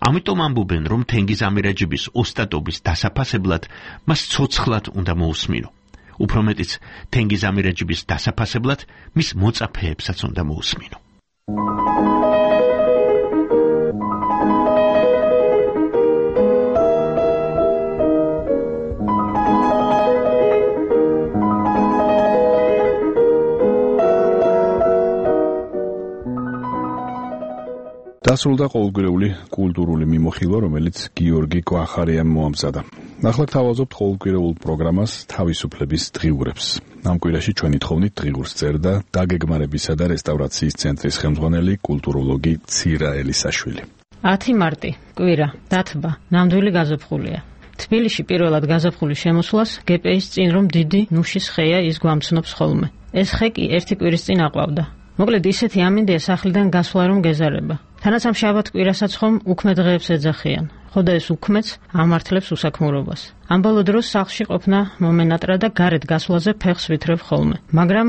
ამიტომ ამბობენ, რომ თენგიზ ამირაჯიბის ოსტატობის დასაფასებლად მას ცოცხლად უნდა მოусმინო. უფრო მეტიც, თენგიზ ამირაჯიბის დასაფასებლად მის მოწაფეებსაც უნდა მოусმინო. დასრულდა ყოველკვირეული კულტურული მიმოხილვა, რომელიც გიორგი კვახარიამ მოამზადა. ახლა გთავაზობთ ყოველკვირეულ პროგრამას თავისუფლების დღიურებს. ამ კვირაში ჩვენი თხოვნით დღიურს წერდა დაგეგმარებისა და რესტავრაციის ცენტრის ხელმძღვანელი კულტუროლოგი ცირა ელისაშვილი. 10 მარტი, კვირა, დათბა, ნამდვილი გაზაფხულია. თბილისში პირველად გაზაფხულის შემოსვლას გპ-ის წინ რომ დიდი ნუშის ხეა ის გვამცნობს ხოლმე. ეს ხე კი ერთი კვირის წინ აყვავდა. მოკლედ ისეთი ამინდია სახლიდან გასვლა რომ გეზარება. თანაც ამ შაბათ კვირასაც ხომ უქმე დღეებს ეძახიან. ხოდა ეს უქმეც ამართლებს უსაქმურობას. ამ ბოლო დროს სახლში ყოფნა მომენატრა და გარეთ გასვლაზე ფეხს ვითრევ ხოლმე. მაგრამ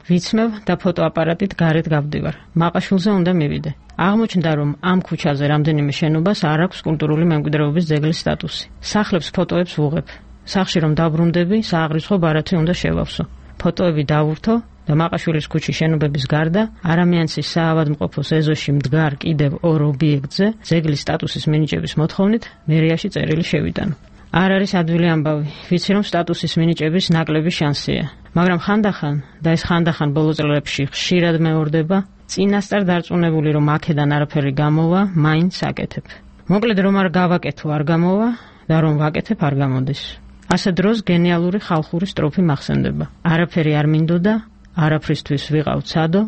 ვიცმევ და ფოტოაპარატით გარეთ გავდივარ. მაყაშვილზე უნდა მივიდე. აღმოჩნდა, რომ ამ ქუჩაზე რამდენიმე შენობას არ აქვს კულტურული მემკვიდრეობის ძეგლის სტატუსი. სახლებს ფოტოებს ვუღებ. სახლში რომ დაბრუნდები, სააღრიცხვო ბარათი უნდა შევავსო. ფოტოები დავურთო და მაყაშვილის ქუჩის შენობების გარდა არამიანცის საავადმყოფოს ეზოში მდგარ კიდევ 2 ობიექტზე ძეგლის სტატუსის მინიჭების მოთხოვნით მერიაში წერილი შევიტანო. არ არის ადვილი ამბავი, ვიცი რომ სტატუსის მინიჭების ნაკლები შანსია, მაგრამ ხანდახან და ეს ხანდახან ბოლო წლებში ხშირად მეორდება, წინასწარ დარწმუნებული რომ აქედან არაფერი გამოვა, მაინც აკეთებ. მოკლედ რომ არ გავაკეთო არ გამოვა და რომ ვაკეთებ არ გამოდის. ასე დროს გენიალური ხალხური სტროფი მახსენდება. არაფერი არ მინდოდა, არაფრისთვის ვიყავ ცადო,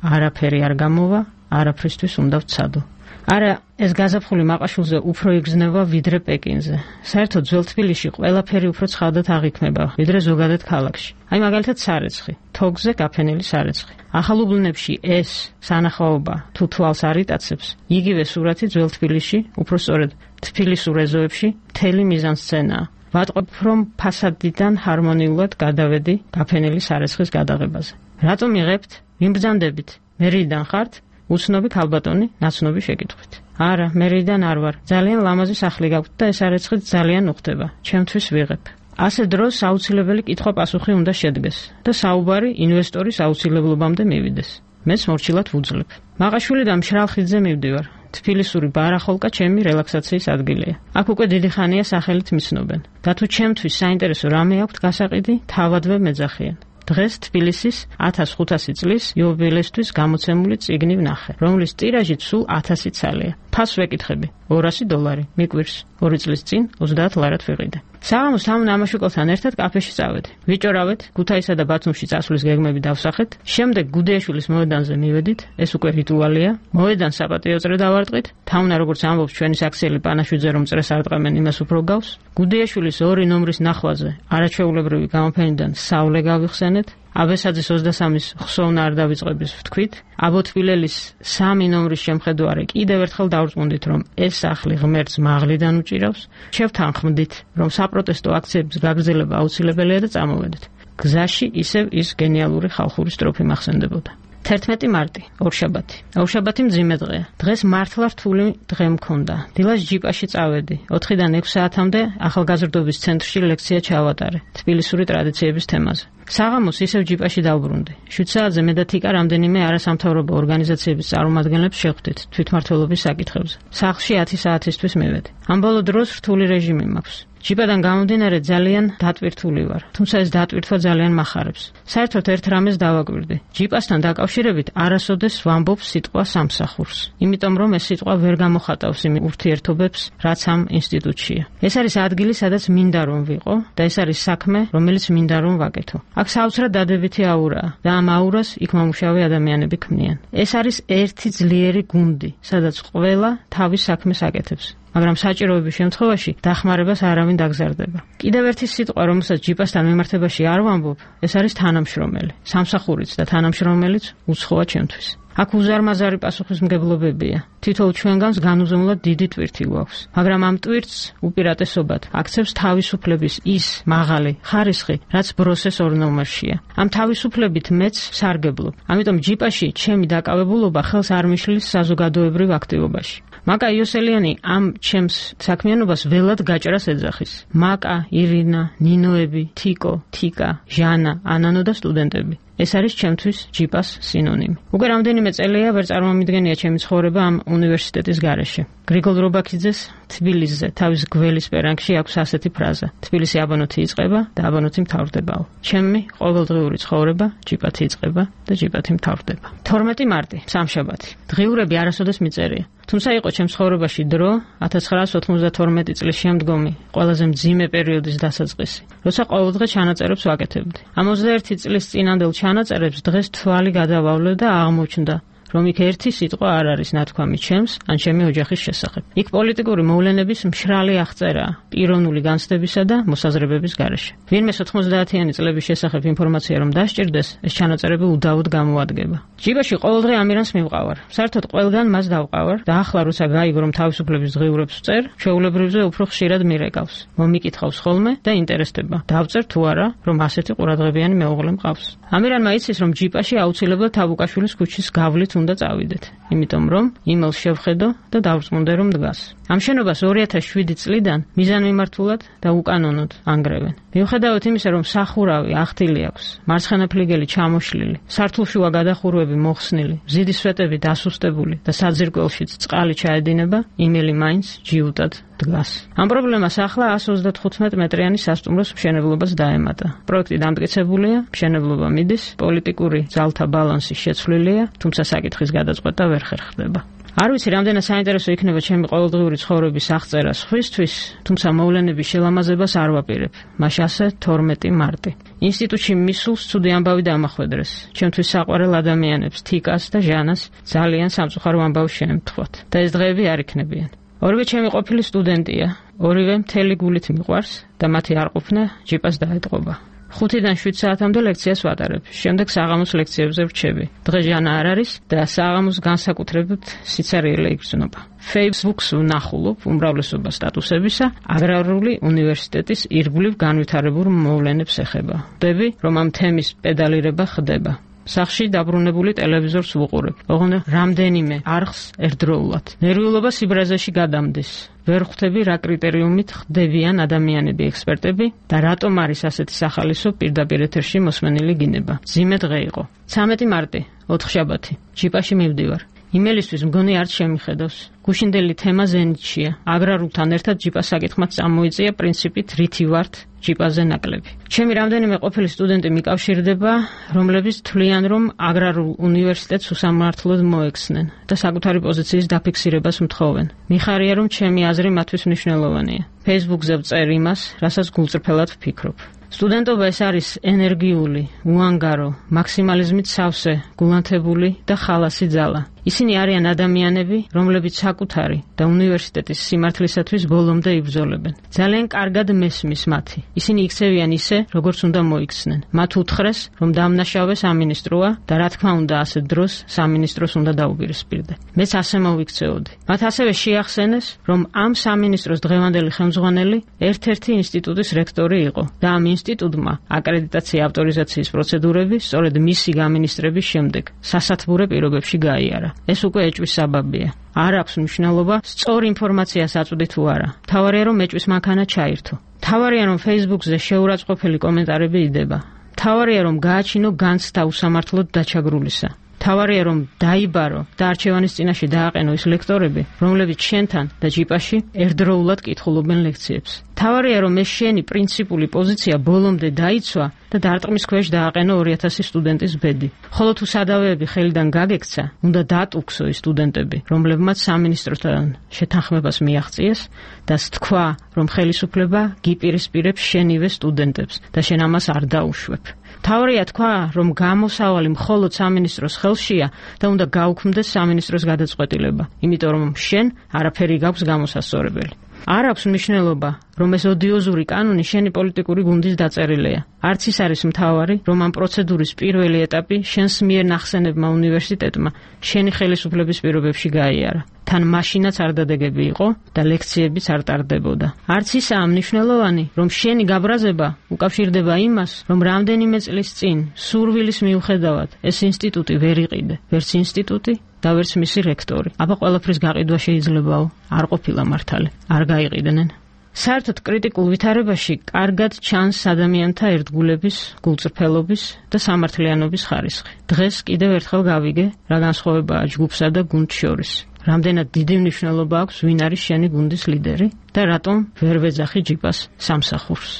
არაფერი არ გამოვა, არაფრისთვის უნდა ვცადო. არა, ეს გაზაფხული მაყაშვილზე უფრო იგრძნობა ვიდრე პეკინზე. საერთოდ ძველ თბილისში ყველაფერი უფრო ცხადად აღიქმება, ვიდრე ზოგადად ქალაქში. აი მაგალითად სარეცხი, თოგზე გაფენილი სარეცხი. ახალ უბნებში ეს სანახაობა თუ თვალს არ იტაცებს, იგივე სურათი ძველ თბილისში, უფრო სწორედ თბილისურ ეზოებში, მთელი მიზანსცენაა. ვატყობ, რომ ფასადიდან ჰარმონიულად გადავედი გაფენილი სარეცხის გადაღებაზე. რატომ იღებთ? ვიმბრძანდებით. მერიდან ხართ? უცნობი ქალბატონი ნაცნობი შეკითხვით. არა, მერიდან არ ვარ. ძალიან ლამაზი სახლი გაქვთ და ეს სარეცხიც ძალიან უხდება. ჩემთვის ვიღებ. ასე დროს აუცილებელი კითხვა-პასუხი უნდა შედგეს და საუბარი ინვესტორის აუცილებლობამდე მივიდეს. მეც მორჩილად ვუძლებ. მაყაშვილი და მშრალ ხიდზე მივდივარ. თბილისური ბარახოლკა ჩემი რელაქსაციის ადგილია. აქ უკვე დიდი ხანია სახელით მიცნობენ. და თუ ჩემთვის საინტერესო რამე აქვთ გასაყიდი, თავადვე მეძახიან. დღეს თბილისის 1500 წლის იუბილეისთვის გამოცემული წიგნი ვნახე, რომლის ტირაჟით სულ 1000 ცალია. ფასს ვეკითხები, $200, მიკვირს. 2 წლის წინ 30 ლარად ვიყიდე. საღამოს ამ ნამაშუკელთან ერთად კაფეში წავედი. ვიჭორავეთ, ქუთაისსა და ბათუმში წასვლის გეგმები დავსახეთ. შემდეგ გუდეაშვილის მოედანზე მივედით, ეს უკვე რიტუალია. მოედანს საპატიო წრე დავარტყით. თამნა როგორც ამბობს ჩვენი საქსიელი პანაშვიძე რომ წრეს არ ტყამენ, იმას უფრო გავს. გუდეაშვილის 2 ნომრის ნახვაზე არაჩვეულებრივი გამოფენიდან სავლე გავიხსენეთ. აბესაძის 23-ის ხსოვნა არ დავიწყების ვთქვით. აბოთბილელის 3 ნომრის შემხედვარე კიდევ ერთხელ დავრწმუნდით, რომ ეს სახლი ღმერთს მაღლიდან უჭირავს. შევთანხმდით, რომ საპროტესტო აქციების გაგრძელება აუცილებელია და წამოვედით. გზაში ისევ ის გენიალური ხალხური სტროფი მახსენდებოდა. 11 მარტი, ორშაბათი. ორშაბათი მძიმე დღეა. დღეს მართლა რთული დღე მქონდა. დილას ჯიპაში წავედი. 4-დან 6 საათამდე ახალგაზრდობის ცენტრში ლექცია ჩავატარე თბილისური ტრადიციების თემაზე. საღამოს ისევ ჯიპაში დავბრუნდი. 7 საათზე მე და თიკა რამდენიმე არასამთავრობო ორგანიზაციების წარმომადგენლებს შეხვდით თვითმმართველობის საკითხებზე. სახლში 10 საათისთვის მივედი. ამ ბოლო დროს რთული რეჟიმი მაქვს. ჯიპადან გამომდინარე ძალიან დატვირთული ვარ, თუმცა ეს დატვირთვა ძალიან მახარებს. საერთოდ ერთ რამეს დავაკვირდი. ჯიპასთან დაკავშირებით არასოდეს ვამბობ სიტყვა სამსახურს, იმიტომ რომ ეს სიტყვა ვერ გამოხატავს იმ ურთიერთობებს, რაც ამ ინსტიტუტშია. ეს არის ადგილი, სადაც მინდა რომ ვიყო და ეს არის საქმე, რომელიც მინდა რომ ვაკეთო. აქ საოცრად დადებითი აურაა და ამ აურას იქ მომუშავე ადამიანები ქმნიან. ეს არის ერთი ძლიერი გუნდი, სადაც ყველა თავის საქმეს აკეთებს. მაგრამ საჭიროების შემთხვევაში დახმარებას არავინ დაგზარდება. კიდევ ერთი სიტყვა, რომელსაც ჯიპასთან მიმართებაში არ ვამბობ, ეს არის თანამშრომელი. სამსახურიც და თანამშრომელიც უცხოა ჩემთვის. აქ უზარმაზარი პასუხისმგებლობებია. თითოეულ ჩვენგანს განუზომლად დიდი ტვირთი გვაქვს, მაგრამ ამ ტვირთს უპირატესობად აქცევს თავისუფლების ის მაღალი ხარისხი, რაც ბროსეს ორ ნომერშია. ამ თავისუფლებით მეც სარგებლობ. ამიტომ ჯიპაში ჩემი დაკავებულობა ხელს არ მიშლის საზოგადოებრივ აქტივობაში. მაკა იოსელიანი ამ ჩემს საქმიანობას ველად გაჭრას ეძახის. მაკა, ირინა, ნინოები, თიკო, თიკა, ჟანა, ანანო და სტუდენტები. ეს არის ჩემთვის ჯიპას სინონიმი. უკვე რამდენიმე წელია ვერ წარმომიდგენია ჩემი ცხოვრება ამ უნივერსიტეტის გარეშე. გრიგოლ რობაქიძეს თბილისზე თავის გველის პერანგში აქვს ასეთი ფრაზა: თბილისი აბანოთი იწყება და აბანოთი მთავრდებაო. ჩემი ყოველდღიური ცხოვრება ჯიპათი იწყება და ჯიპათი მთავრდება. 12 მარტი, სამშაბათი. დღიურები არასოდეს მიწერია. თუმცა იყო ჩემს ცხოვრებაში დრო 1992 წლის შემდგომი ყველაზე მძიმე პერიოდის დასაწყისი, როცა ყოველდღე ჩანაწერებს ვაკეთებდი. ამ 21 წლის წინანდელ ჩანაწერებს დღეს თვალი გადავავლე და აღმოჩნდა, რომ იქ ერთი სიტყვა არ არის ნათქვამი ჩემს ან ჩემი ოჯახის შესახებ. იქ პოლიტიკური მოვლენების მშრალი აღწერაა, პიროვნული განცდებისა და მოსაზრებების გარეშე. ვინმე 90-იანი წლების შესახებ ინფორმაცია რომ დასჭირდეს, ეს ჩანაწერები უდაოდ გამოადგება. ჯიბაში ყოველდღე ამირანს მივყავარ. საერთოდ ყველგან მას დავყავარ და ახლა როცა გაიგო რომ თავისუფლების დღიურებს ვწერ, ჩვეულებრივზე უფრო ხშირად მირეკავს. მომიკითხავს ხოლმე და ინტერესდება. დავწერ თუ არა, რომ ასეთი ყურადღებიანი მეუღლე მყავს. ამირანმა იცის რომ ჯიპაში აუცილებლად თაბუკაშვილის ქუჩის გავლით უნდა წავიდეთ, იმიტომ რომ იმელს შევხედო და დავრწმუნდე რომ დგას. ამ შენობას 2007 წლიდან მიზანმიმართულად და უკანონოდ ანგრევენ. მიუხედავად იმისა, რომ სახურავი ახთილი აქვს, მარცხენა ფლიგელი ჩამოშლილი, სართულშუა გადახურვები მოხსნილი, მზიდის სვეტები დასუსტებული და საძირკველშიც წყალი ჩაედინება, იმელი მაინც ჯიუტად დგას. ამ პრობლემას ახლა 135 მეტრიანი სასტუმროს მშენებლობას დაემატა. პროექტი დამტკიცებულია, მშენებლობა მიდის, პოლიტიკური ძალთა ბალანსი შეცვლილია, თუმცა საკითხის გადაწყვეტა ვერ ხერხდება. არ ვიცი, რამდენად საინტერესო იქნება ჩემი ყოველდღიური ცხოვრების აღწერა სხვისთვის, თუმცა მოვლენების შელამაზებას არ ვაპირებ. მაშასე 12 მარტი. ინსტიტუტში მისულს ცუდი ამბავი დამახვედრეს. ჩემთვის საყვარელ ადამიანებს, თიკას და ჟანას ძალიან სამწუხარო ამბავი შეემთხვათ და ეს დღეები არ იქნებიან. ორივე ჩემი ყოფილი სტუდენტია, ორივე მთელი გულით მიყვარს და მათი არყოფნა ჯიპას დაეტყობა. 5-დან 7 საათამდე ლექციას ვატარებ. შემდეგ საღამოს ლექციებზე ვრჩები. დღეს ჟანა არ არის და საღამოს განსაკუთრებით სიცარიელე იგრძნობა. Facebook-ს ვნახულობ უმრავლესობა სტატუსებისა აგრარული უნივერსიტეტის ირგვლივ განვითარებულ მოვლენებს ეხება. ვხვდები, რომ ამ თემის პედალირება ხდება. სახში დაბრუნებული ტელევიზორს ვუყურებ. ოღონდ რამდენიმე არხს ერთდროულად. ნერვიულობა სიბრაზეში გადამდის. ვერ ხვდები რა კრიტერიუმით ხდებიან ადამიანები, ექსპერტები და რატომ არის ასეთი სახალისო პირდაპირ ეთერში მოსმენილი გინება. მძიმე დღე იყო. 13 მარტი, ოთხშაბათი. ჯიპაში მივდივარ. იმელისთვის მგონი არც შემიხედავს. გუშინდელი თემა ზენიტშია. აგრარულთან ერთად ჯიპას საკითხმაც წამოიწია პრინციპით რითი ვართ ჯიპაზე ნაკლები. ჩემი რამდენიმე ყოფილი სტუდენტი მიკავშირდება, რომლებიც თვლიან, რომ აგრარულ უნივერსიტეტს უსამართლოდ მოექცნენ და საკუთარი პოზიციის დაფიქსირებას მთხოვენ. მიხარია, რომ ჩემი აზრი მათთვის მნიშვნელოვანია. Facebook-ზე ვწერ იმას, რასაც გულწრფელად ვფიქრობ. სტუდენტობა ეს არის ენერგიული, უანგარო, მაქსიმალიზმით სავსე, გულანთებული და ხალასი ძალა. ისინი არიან ადამიანები, რომლებიც საკუთარი და უნივერსიტეტის სიმართლისათვის ბოლომდე იბრძოლებენ. ძალიან კარგად მესმის მათი. ისინი იქცევიან ისე, როგორც უნდა მოიქცნენ. მათ უთხრეს, რომ დამნაშავე სამინისტროა და რა თქმა უნდა ასეთ დროს სამინისტროს უნდა დაუპირისპირდე. მეც ასე მოვიქცეოდი. მათ ასევე შეახსენეს, რომ ამ სამინისტროს დღევანდელი ხელმძღვანელი ერთ-ერთი ინსტიტუტის რექტორი იყო და ამ ინსტიტუტმა აკრედიტაცია ავტორიზაციის პროცედურები სწორედ მისი გამინისტრების შემდეგ სასათბურე პირობებში გაიარა. ეს უკვე ეჭვის საბაბია. არ აქვს მნიშვნელობა სწორ ინფორმაციას აწვდი თუ არა. მთავარია რომ ეჭვის მანქანა ჩაირთო. მთავარია რომ Facebook-ზე შეურაცხყოფელი კომენტარები იდება. მთავარია რომ გააჩინო განცდა უსამართლოდ დაჩაგრულისა. მთავარია რომ დაიბარო და არჩევანის წინაშე დააყენო ის ლექტორები, რომლებიც შენთან და ჯიპაში ერთდროულად კითხულობენ ლექციებს. მთავარია რომ ეს შენი პრინციპული პოზიცია ბოლომდე დაიცვა და დარტყმის ქვეშ დააყენო 2000 სტუდენტის ბედი. ხოლო თუ სადავეები ხელიდან გაგექცა, უნდა დაატუქსო ის სტუდენტები, რომლებმაც სამინისტროსთან შეთანხმებას მიაღწიეს და თქვა, რომ ხელისუფლება გიპირისპირებს შენივე სტუდენტებს და შენ ამას არ დაუშვებ. მთავარია თქვა, რომ გამოსავალი მხოლოდ სამინისტროს ხელშია და უნდა გაუქმდეს სამინისტროს გადაწყვეტილება, იმიტომ რომ შენ არაფერი გაქვს გამოსასწორებელი. არ აქვს მნიშვნელობა, რომ ეს ოდიოზური კანონი შენი პოლიტიკური გუნდის დაწერილია. არც ის არის მთავარი, რომ ამ პროცედურის პირველი ეტაპი შენს მიერ ნახსენებმა უნივერსიტეტმა შენი ხელისუფლების პირობებში გაიარა. თან მაშინაც არ დადეგები იყო და ლექციებიც არ ტარდებოდა. არც ისაა მნიშვნელოვანი, რომ შენი გაბრაზება უკავშირდება იმას, რომ რამდენიმე წლის წინ სურვილის მიუხედავად ეს ინსტიტუტი ვერ იყიდე, ვერც ინსტიტუტი და ვერც მისი რექტორი. აბა ყველაფრის გაყიდვა შეიძლებაო, არ ყოფილა მართალი, არ გაიყიდნენ. საერთოდ კრიტიკულ ვითარებაში კარგად ჩანს ადამიანთა ერთგულების, გულწრფელობის და სამართლიანობის ხარისხი. დღეს კიდევ ერთხელ გავიგე, რა განსხვავებაა ჯგუფსა და გუნდს შორის. რამდენად დიდი მნიშვნელობა აქვს ვინ არის შენი გუნდის ლიდერი და რატომ ვერ ვეძახი ჯიპას სამსახურს.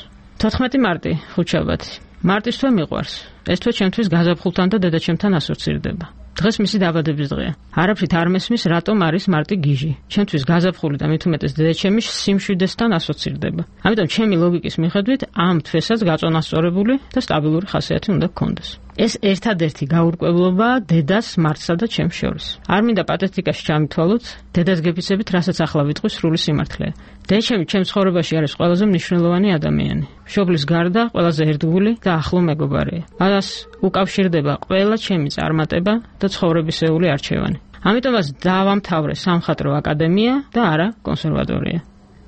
14 მარტი, ხუთშაბათი. მარტის თვე მიყვარს. ეს თვე ჩემთვის გაზაფხულთან და დედაჩემთან ასოცირდება. დღეს მისი დაბადების დღეა. არაფრით არ მესმის, რატომ არის მარტი გიჟი. ჩემთვის გაზაფხული და მით უმეტეს დედაჩემი სიმშვიდესთან ასოცირდება. ამიტომ ჩემი ლოგიკის მიხედვით ამ თვესაც გაწონასწორებული და სტაბილური ხასიათი უნდა გქონდეს. ეს ერთადერთი გაურკვევლობაა დედას, მარტსა და ჩემს შორის. არ მინდა პათეტიკაში ჩამითვალოთ, დედას გეფიცებით, რასაც ახლა ვიტყვი სრული სიმართლეა. დედაჩემი ჩემს ცხოვრებაში არის ყველაზე მნიშვნელოვანი ადამიანი. მშობლის გარდა ყველაზე ერთგული და ახლო მეგობარია. მას უკავშირდება ყველა ჩემი წარმატება და ცხოვრებისეული არჩევანი. ამიტომაც დავამთავრე სამხატვრო აკადემია და არა კონსერვატორია.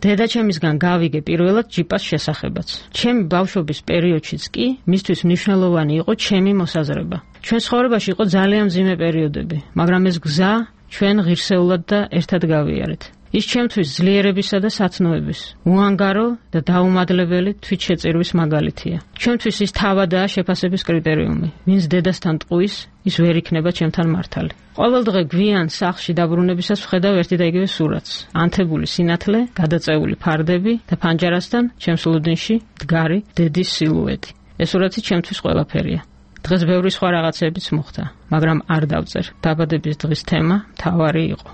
დედაჩემისგან გავიგე პირველად ჯიპას შესახებაც. ჩემი ბავშვობის პერიოდშიც კი მისთვის მნიშვნელოვანი იყო ჩემი მოსაზრება. ჩვენ ცხოვრებაში იყო ძალიან მძიმე პერიოდები, მაგრამ ეს გზა ჩვენ ღირსეულად და ერთად გავიარეთ. ის ჩემთვის ძლიერებისა და სათნოების, უანგარო და დაუმადლებელი თვითშეწირვის მაგალითია. ჩვენთვის ის თავადაა შეფასების კრიტერიუმი. ვინც დედასთან ტყუის, ის ვერ იქნება ჩემთან მართალი. ყოველ დღე გვიან სახლში დაბრუნებისას ვხედავ ერთი და იგივე სურათს. ანთებული სინათლე, გადაწეული ფარდები და ფანჯარასთან ჩემს ლუდინში მდგარი დედის სილუეტი. ეს სურათი ჩემთვის ყველაფერია. დღეს ბევრი სხვა რაღაცებიც მოხდა, მაგრამ არ დავწერ. დაბადების დღის თემა მთავარი იყო.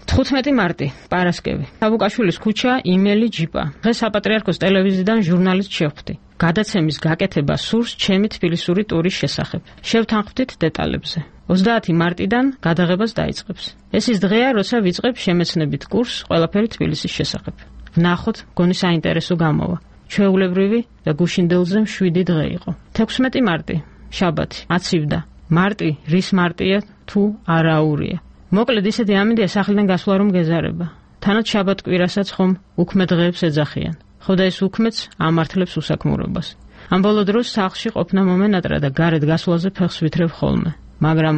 15 მარტი, პარასკევი. საბუკაშვილის ქუჩა, იმელი ჯიპა. დღეს საპატრიარქოს ტელევიზიიდან ჟურნალისტ შევხვდი. გადაცემის გაკეთება სურს ჩემი თბილისური ტურის შესახებ. შევთანხმდით დეტალებზე. 30 მარტიდან გადაღებას დაიწყებს. ეს ის დღეა, როცა ვიწყებ შემეცნებით კურსს ყველაფერი თბილისის შესახებ. ვნახოთ, გონი საინტერესო გამოვა. ჩვეულებრივი და გუშინდელზე მშვიდი დღე იყო. 16 მარტი, შაბათი, აცივდა. მარტი, რის მარტია თუ არაურია. მოკლედ ისეთი ამინდია სახლიდან გასვლა რომ გეზარება. თანაც შაბათ-კვირასაც ხომ უქმე დღეებს ეძახიან. ხო და ეს უქმეც ამართლებს უსაქმურობას. ამ ბოლო დროს სახლში ყოფნა მომენატრა და გარეთ გასვლაზე ფეხს ვითრევ ხოლმე. მაგრამ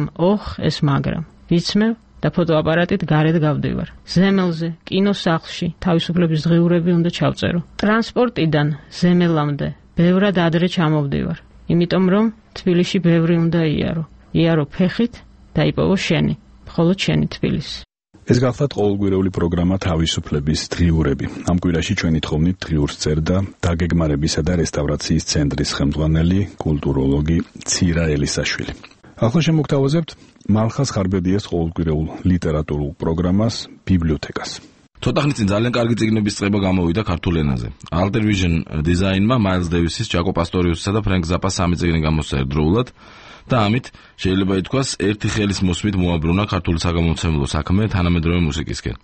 ეს მაგრამ. ვიცმევ და ფოტოაპარატით გარეთ გავდივარ. ზემელზე, კინოსახლში თავისუფლების დღიურები უნდა ჩავწერო. ტრანსპორტიდან ზემელამდე ბევრად ადრე ჩამოვდივარ. იმიტომ რომ თბილისში ბევრი უნდა იარო. იარო ფეხით და იპოვო შენი. ხოლო შენი თბილისი. ეს გახლავთ ყოველკვირეული პროგრამა თავისუფლების დღიურები. ამ კვირაში ჩვენი თხოვნით დღიურს წერდა დაგეგმარებისა და რესტავრაციის ცენტრის ხელმძღვანელი კულტუროლოგი ცირა ელისაშვილი. ახლა შემოგთავაზებთ მალხას ხარბედიას ყოველკვირეულ ლიტერატურულ პროგრამას ბიბლიოთეკას. ცოტა ხნის წინ ძალიან კარგი წიგნების წყება გამოვიდა ქართულ ენაზე. Alter Vision დიზაინმა მაილს დევისის, ჯაკო პასტორიუსისა და ფრენკ ზაპას სამი წიგნი გამოსცა ერთდროულად და ამით შეიძლება ითქვას ერთი ხელის მოსმით მოაბრუნა ქართული საგამომცემლო საქმე თანამედროვე მუსიკისკენ.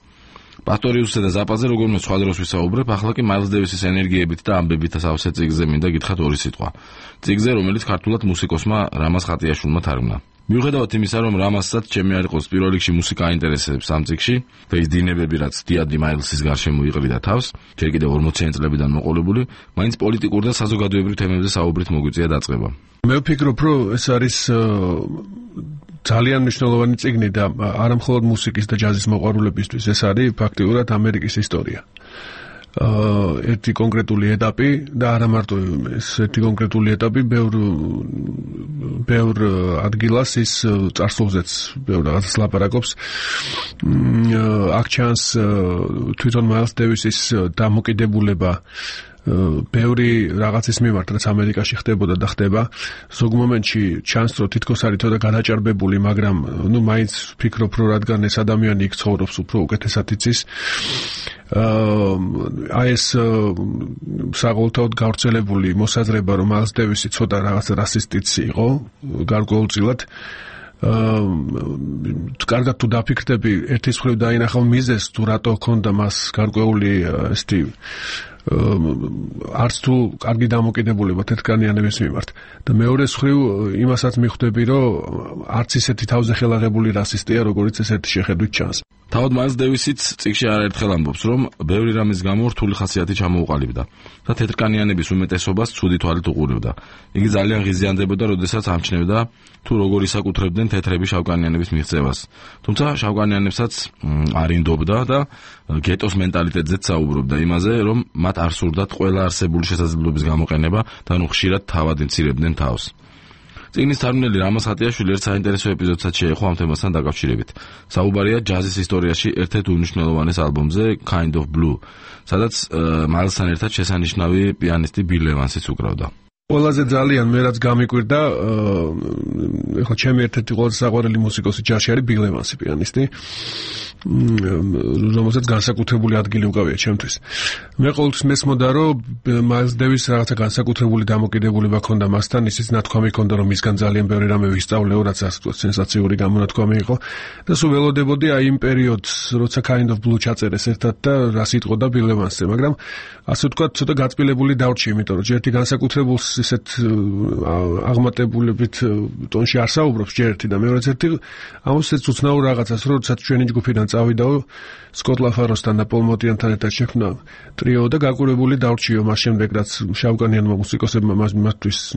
პასტორიუსსა და ზაპაზე როგორმე სხვა დროს ვისაუბრებ, ახლა კი მაილს დევისის ენერგიებით და ამბებით ასავსე წიგნზე მინდა გითხრათ ორი სიტყვა. წიგნზე, რომელიც ქართულად მუსიკოსმა რამაზ ხატიაშვილმა თარგმნა. მიუხედავად იმისა, რომ რამაზსაც ჩემი არ იყოს პირველ რიგში მუსიკა აინტერესებს ამ წიგნში და ის დინებები, რაც დიადი მაილსის გარშემო იყრიდა თავს, ჯერ კიდევ 40-იან წლებიდან მოყოლებული, მაინც პოლიტიკურ და საზოგადოებრივ თემებზე საუბრით მოგვიწია დაწყება. მე ვფიქრობ, რომ ეს არის ძალიან მნიშვნელოვანი წიგნი და არა მხოლოდ მუსიკის და ჯაზის მოყვარულებისთვის, ეს არის ფაქტიურად ამერიკის ისტორია. ერთი კონკრეტული ეტაპი და არა მარტო ეს ერთი კონკრეტული ეტაპი ბევრ ადგილას ის წარსულზეც ბევრ რაღაცას ლაპარაკობს. აქ ჩანს თვითონ მაილს დევისის დამოკიდებულება ბევრი რაღაცის მიმართ, რაც ამერიკაში ხდებოდა და ხდება. ზოგ მომენტში ჩანს, რომ თითქოს არის თოდა გადაჭარბებული, მაგრამ მაინც ვფიქრობ, რომ რადგან ეს ადამიანი იქ ცხოვრობს, უფრო უკეთესად იცის. ეს საყოველთაოდ გავრცელებული მოსაზრება, რომ მაილს დევისი ცოტა რაღაც რასისტიც იყო, გარკვეულწილად კარგად თუ დაფიქრდები, ერთის მხრივ დაინახავ მიზეზს, თუ რატო ჰქონდა მას გარკვეული ესეთი არც თუ კარგი დამოკიდებულება თეთრკანიანების მიმართ და მეორეს მხრივ იმასაც მიხვდები, რომ არც ისეთი თავზე ხელაღებული რასისტია, როგორც ეს ერთი შეხედვით ჩანს. თავად მაილს დევისიც წიგნში არაერთხელ ამბობს, რომ ბევრი რამის გამო რთული ხასიათი ჩამოუყალიბდა და თეთრკანიანების უმეტესობას ცუდი თვალით უყურებდა. იგი ძალიან ღიზიანდებოდა, როდესაც ამჩნევდა თუ როგორ ისაკუთრებდნენ თეთრები შავკანიანების მიღწევას. თუმცა შავკანიანებსაც არ ინდობდა და გეტოს მენტალიტეტზეც საუბრობდა იმაზე, რომ მათ არ სურდათ ყველა არსებული შესაძლებლობის გამოყენება და ნუ ხშირად თავად იმცირებდნენ თავს. წიგნის თარგმნელი რამაზ ხატიაშვილი ერთ საინტერესო ეპიზოდსაც შეეხო ამ თემასთან დაკავშირებით. საუბარია ჯაზის ისტორიაში ერთ-ერთ უმნიშვნელოვანეს ალბომზე Kind of Blue, სადაც მაილსთან ერთად შესანიშნავი პიანისტი ბილ ევანსიც უკრავდა. ყველაზე ძალიან მე რაც გამიკვირდა, ეხლა ჩემი ერთ-ერთი ყველაზე საყვარელი მუსიკოსი ჯაზში არის ბილ ევანსი, პიანისტი, რომელსაც განსაკუთრებული ადგილი უკავია ჩემთვის. მე ყოველთვის მესმოდა, რომ მაილს დევის რაღაცა განსაკუთრებული დამოკიდებულება ჰქონდა მასთან, ისიც ნათქვამი ჰქონდა, რომ მისგან ძალიან ბევრი რამე ვისწავლეო, რაც ასე ვთქვათ, სენსაციური გამონათქვამი იყო და სულ ველოდებოდი აი იმ პერიოდს, როცა Kind of Blue ჩაწერეს ერთად და რას იტყოდა ბილ ევანსზე, მაგრამ ასე ვთქვათ, ცოტა გაწმილებული დავრჩი, იმიტომ რომ ერთი განსაკუთრებულს ისეთ აღმატებულებით ტონში არ საუბრობს ჯერეთი და მეორეც ერთი ამოსეც უცნაურ რაღაცას, როდესაც ჩვენი ჯგუფიდან წავიდაო სკოტ ლაფაროსთან და პოლ მოტიანთან ერთად შექმნა ტრიო და გაკვირვებული დავრჩიო მას შემდეგ, რაც შავკანიანმა მუსიკოსებმა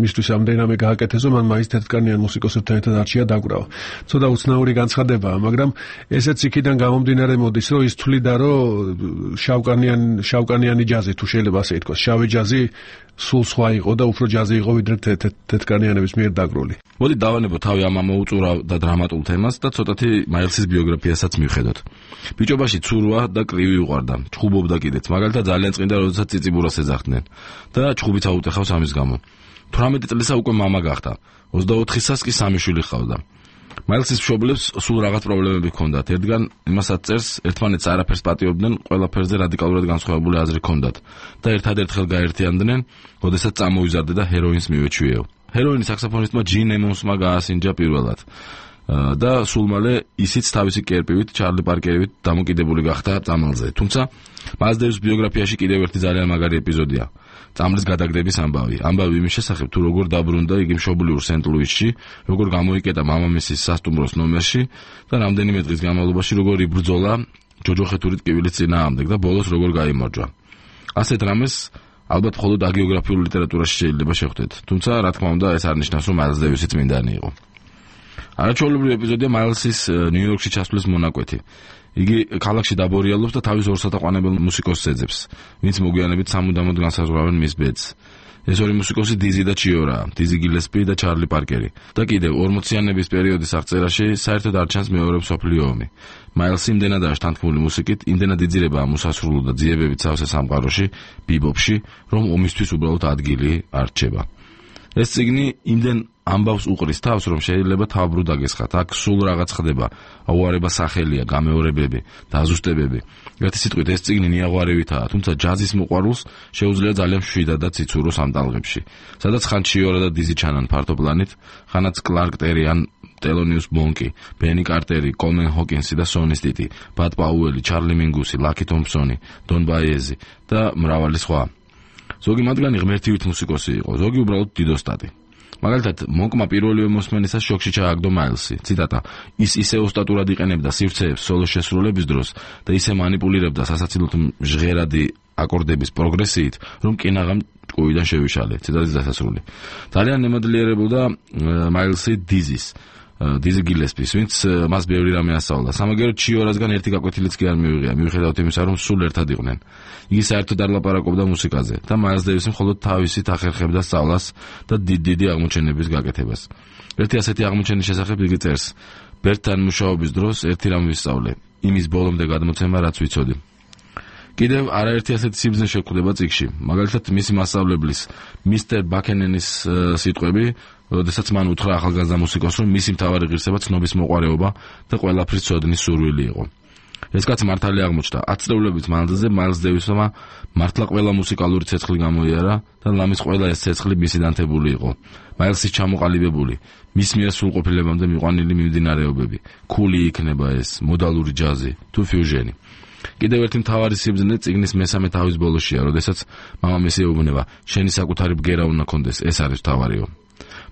მისთვის ამდენამე გააკეთეს, რომ მან მაინც თეთრკანიან მუსიკოსებთან ერთად არჩია დაკვრაო. ცოტა უცნაური განცხადებაა, მაგრამ ესეც იქიდან გამომდინარე მოდის, რომ ის თვლიდა, რომ შავკანიანი ჯაზი, თუ შეიძლება ასე ითქვას, შავი ჯაზი სულ სხვა იყო და უფრო ჯაზი იყო ვიდრე თეთრკანიანების მიერ დაგრული. მოდი დავანებოთ თავი ამ ამოუწურავ და დრამატულ თემას და ცოტათი მაილსის ბიოგრაფიასაც მივხედოთ. ბიჭობაში ცურვა და კრივი უყვარდა, ჩხუბობდა კიდეც, მაგალითად ძალიან წმინდა, როდესაც ციციბურას ეძახდნენ და ჩხუბიც აუტეხავს ამის გამო. 18 წლისა უკვე მამა გახდა, 24-საც კი 3 შვილი ჰყავდა. მაილსის მშობლებს სულ რაღაც პრობლემები ჰქონდათ. ერთგან იმასაც წერს, ერთმანეთს არაფერს პატიობდნენ, ყველაფერზე რადიკალურად განსხვავებული აზრი ჰქონდათ და ერთადერთ ხელ გაერთიანდნენ, როდესაც წამოიზარდა და ჰეროინს მივეჩვიეო. ჰეროინი საქსოფონისტმა ჯინ ემონსმა გაასინჯა პირველად და სულ მალე ისიც თავისი კერპივით, ჩარლი პარკერივით დამოკიდებული გახდა წამალზე. თუმცა მაილს დევის ბიოგრაფიაში კიდევ ერთი ძალიან მაგარი ეპიზოდია. წამლის გადაგდების ამბავი. ამბავი იმის შესახებ, თუ როგორ დაბრუნდა იგი მშობლიურ სენტ-ლუისში, როგორ გამოიკეტა მამამისის სასტუმროს ნომერში და რამდენიმე დღის განმავლობაში როგორ იბრძოლა ჯოჯოხეთური ტკივილის წინააღმდეგ და ბოლოს როგორ გაიმარჯვა. ასეთ რამეს ალბათ მხოლოდ აგეოგრაფიულ ლიტერატურაში შეიძლება შეხვდეთ. თუმცა, რა თქმა უნდა, ეს არ ნიშნავს, რომ მაილს დევისი წმინდანი იყო. არაჩვეულებრივი ეპიზოდია მაილსის ნიუ-იორკში ჩასვლის მონაკვეთი. იგი ქალაქში დაბორიალობს და თავის ორსათაყვანებელ მუსიკოსს ეძებს, ვინც მოგვიანებით სამუდამოდ განსაზღვრავენ მის ბედს. ეს ორი მუსიკოსი დიზი და ჩიორაა, დიზი გილესპი და ჩარლი პარკერი. და კიდევ 40-იანების პერიოდის აღწერაში საერთოდ არ ჩანს მეორე მსოფლიო ომი. მაილსი იმდენადაა შთანთქმული მუსიკით, იმდენად იძირება უსასრულო და ძიებებით სავსე სამყაროში, ბიბოპში, რომ ომისთვის უბრალოდ ადგილი არ რჩება. ეს წიგნი იმდენ ამბავს უყრის თავს, რომ შეიძლება თავბრუ დაგესხათ. აქ სულ რაღაც ხდება, აუარება სახელია, გამეორებები, დაზუსტებები. ერთი სიტყვით ეს წიგნი ნიაღვარევითაა, თუმცა ჯაზის მოყვარულს შეუძლია ძალიან მშვიდადად იცუროს ამ ტალღებში, სადაც ხან ჩიორა და დიზი ჩანან ფართოპლანით, ხანაც კლარკ ტერი ან ტელონიუს მონკი, ბენი კარტერი, კოლმენ ჰოკინსი და სონი სტიტი, ბად პაუელი, ჩარლი მინგუსი, ლაკი თომპსონი, დონ ბაიეზი და მრავალი სხვა. ზოგი მათგანი ღმერთივით მუსიკოსი იყო, ზოგი უბრალოდ დიდოსტატი. მაგალითად, მონკმა პირველივე მოსმენისას შოქში ჩააგდო მაილსი. ციტატა: ის ისე ოსტატურად იყენებდა სივრცეებს სოლოს შესრულების დროს და ისე მანიპულირებდა სასაცილოდ ჟღერადი აკორდების პროგრესიით, რომ კინაღამ ჭკუიდან შევიშალე. ციტატის დასასრული. ძალიან ნემადლიერებოდა მაილსი დიზი გილესპის, ვინც მას ბევრი რამე ასწავლა. სამაგერო ჩიორასგან ერთი გაკვეთილიც კი არ მივიღია, მიუხედავად იმისა, რომ სულ ერთად იყვნენ. იგი საერთოდ არ ლაპარაკობდა მუსიკაზე და მაილს დევისი მხოლოდ თავისით ახერხებდა სწავლას და დიდი აღმოჩენების გაკეთებას. ერთი ასეთი აღმოჩენის შესახებ იგი წერს: ბერტთან მუშაობის დროს ერთი რამ ვისწავლე, იმის ბოლომდე გადმოცემა, რაც ვიცოდი. კიდევ არაერთი ასეთი სიბრძნე შეგვხვდება წიგნში. მაგალითად, მისი მასწავლებლის მისტერ ბაკენენის სიტყვები, როდესაც მან უთხრა ახალგაზრდა მუსიკოსს, რომ მისი მთავარი ღირსება ცნობის მოყვარეობა და ყველაფრის ცოდნის სურვილი იყო. ეს კაცი მართალი აღმოჩნდა. 10 წლების მანძილზე მაილს დევისმა მართლა ყველა მუსიკალური ცეცხლი გამოიარა და ლამის ყველა ეს ცეცხლი მისი დანთებული იყო. მაილსის ჩამოყალიბებული, მის მიერ სრულყოფილებამდე მიყვანილი მიმდინარეობები, ქული იქნება ეს, მოდალური ჯაზი თუ ფიუჟენი. კიდევ ერთი მთავარი სიბრძნე წიგნის მესამე თავის ბოლოშია, როდესაც მამამისი ეუბნება, შენი საკუთარი ბგერა უნდა კონდეს, ეს არის მთავარიო.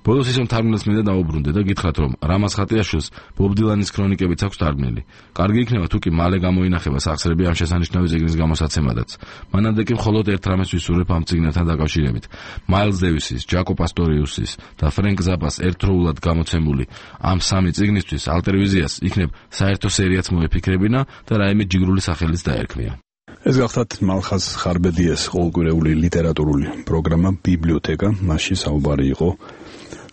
ბოლოს ისე მთარგმნელს მინდა დაუბრუნდე და გითხრათ, რომ რამაზ ხატიაშვილს ბობ დილანის ქრონიკებიც აქვს თარგმნილი. კარგი იქნება თუ კი მალე გამოინახება სახსრები ამ შესანიშნავი წიგნის გამოსაცემადაც. მანამდე კი მხოლოდ ერთ რამეს ვისურვებ ამ წიგნთან დაკავშირებით. მაილს დევისის, ჯაკო პასტორიუსის და ფრენკ ზაპას ერთდროულად გამოცემული ამ სამი წიგნისთვის ალტერვიზიას იქნებ საერთო სერიაც მოეფიქრებინა და რაიმე ჯიგრული სახელიც დაერქმია. ეს გახლავთ მალხაზ ხარბედიას ყოველკვირეული ლიტერატურული პროგრამა ბიბლიოთეკა, მასში საუბარი იყო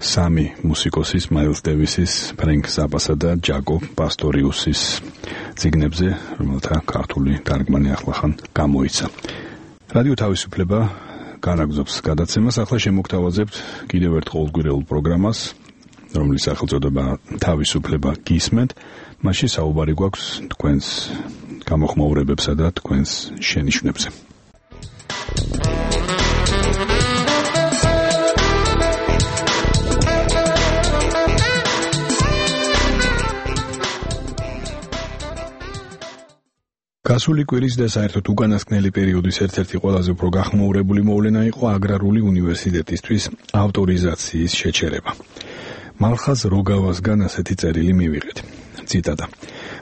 სამი მუსიკოსის მაილს დევისის, ფრენკ ზაპასა და ჯაკო პასტორიუსის წიგნებზე, რომელთა ქართული თარგმანი ახლახან გამოიცა. რადიო თავისუფლება განაგრძობს გადაცემას. ახლა შემოგთავაზებთ კიდევ ერთ ყოველკვირეულ პროგრამას, რომლის სახელწოდება თავისუფლება გისმენთ. მასში საუბარი გვაქვს თქვენს გამოხმაურებებსა და თქვენს შენიშვნებზე. გასული კვირის და საერთოდ უკანასკნელი პერიოდის ერთ-ერთი ყველაზე უფრო გახმაურებული მოვლენა იყო აგრარული უნივერსიტეტისთვის ავტორიზაციის შეჩერება. მალხაზ როგავასგან ასეთი წერილი მივიღეთ. ციტატა.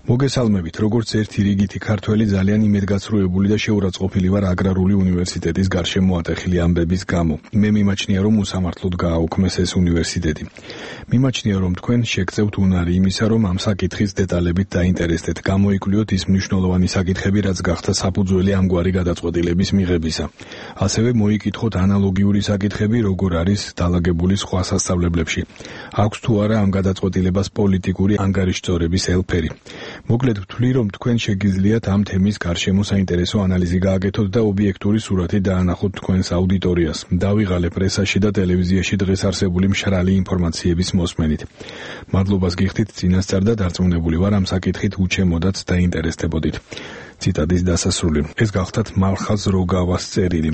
მოგესალმებით, როგორც ერთი რიგითი ქართველი ძალიან იმედგაცრუებული და შეურაცხყოფილი ვარ აგრარული უნივერსიტეტის გარშემო ატეხილი ამბების გამო. მე მიმაჩნია, რომ უსამართლოდ გააუქმეს ეს უნივერსიტეტი. მიმაჩნია, რომ თქვენ შეგწევთ უნარი იმისა, რომ ამ საკითხის დეტალებით დაინტერესდეთ, გამოიკვლიოთ ის მნიშვნელოვანი საკითხები, რაც გახდა საფუძველი ამგვარი გადაწყვეტილების მიღებისა. ასევე მოიკითხოთ ანალოგიური საკითხები, როგორ არის დალაგებული სხვა სასწავლებლებში. აქვს თუ არა ამ გადაწყვეტილებას პოლიტიკური ანგარიშწორების ელფერი. მოკლედ ვთვლი, რომ თქვენ შეგიძლიათ ამ თემის გარშემო საინტერესო ანალიზი გააკეთოთ და ობიექტური სურათი დაანახოთ თქვენს აუდიტორიას. დავიღალე პრესაში და ტელევიზიაში დღეს არსებული მშრალი ინფორმაციების მოსმენით. მადლობას გიხდით წინასწარ და დარწმუნებული ვარ ამ საკითხით უჩემოდაც დაინტერესდებოდით. ციტატის დასასრული. ეს გახლავთ მალხაზ როგავას წერილი.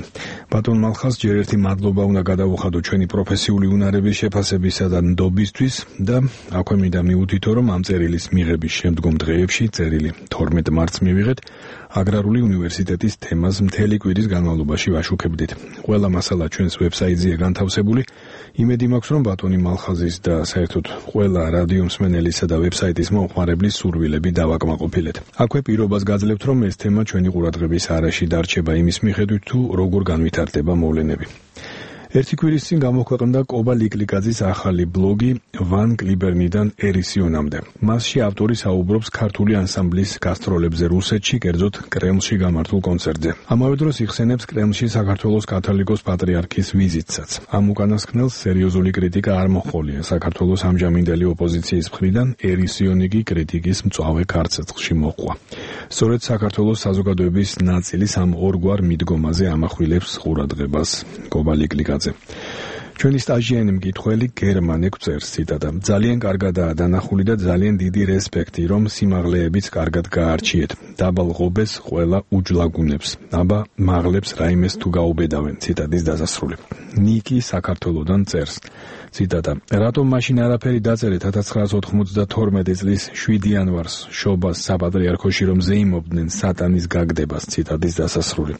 ბატონ მალხაზ, ჯერ ერთი მადლობა უნდა გადავუხადო ჩვენი პროფესიული უნარების შეფასებისა და ნდობისთვის და აქვე მინდა მივუთითო, რომ ამ წერილის მიღების შემდგომ დღეებში, წერილი 12 მარტს მივიღეთ, აგრარული უნივერსიტეტის თემას მთელი კვირის განმავლობაში ვაშუქებდით. ყველა მასალა ჩვენს ვებსაიტზეა განთავსებული. იმედი მაქვს, რომ ბატონი მალხაზის და საერთოდ ყველა რადიო მსმენელისა და ვებსაიტის მომხმარებლის სურვილები დავაკმაყოფილეთ. აქვე პირობას გაძლევთ, რომ ეს თემა ჩვენი ყურადღების არეში დარჩება იმის მიხედვით, თუ როგორ განვითარდება მოვლენები. ერთი კვირის წინ გამოქვეყნდა კობა ლიკლიკაძის ახალი ბლოგი ვან კლიბერნიდან ერისიონამდე. მასში ავტორი საუბრობს ქართული ანსამბლის გასტროლებზე რუსეთში, კერძოდ კრემლში გამართულ კონცერტზე. ამავე დროს იხსენებს კრემლში საქართველოს კათოლიკოს პატრიარქის ვიზიტსაც. ამ უკანასკნელს სერიოზული კრიტიკა არ მოჰყოლია საქართველოს ამჟამინდელი ოპოზიციის მხრიდან, ერისიონი კი კრიტიკის მწვავე ქარწეცხლში მოჰყვა. სწორედ საქართველოს საზოგადოების ნაწილის ამ ორგვარ მიდგომაზე ამახვილებს ყურადღებას კობა ლიკლიკაძე. ჩვენი სტაჟიანი მკითხველი გერმანე გვწერს, ციტატა. ძალიან კარგადაა დანახული და ძალიან დიდი რესპექტი, რომ სიმაღლეებიც კარგად გაარჩიეთ. დაბალ ღობეს ყველა უჯლაგუნებს. აბა მაღლებს რაიმეს თუ გაუბედავენ. ციტატის დასასრული. ნიკი საქართველოდან წერს. ციტატა. რატომ მაშინ არაფერი დაწერეთ 1992 წლის 7 იანვარს შობას საპატრიარქოში, რომ ზეიმობდნენ სატანის გაგდებას. ციტატის დასასრული.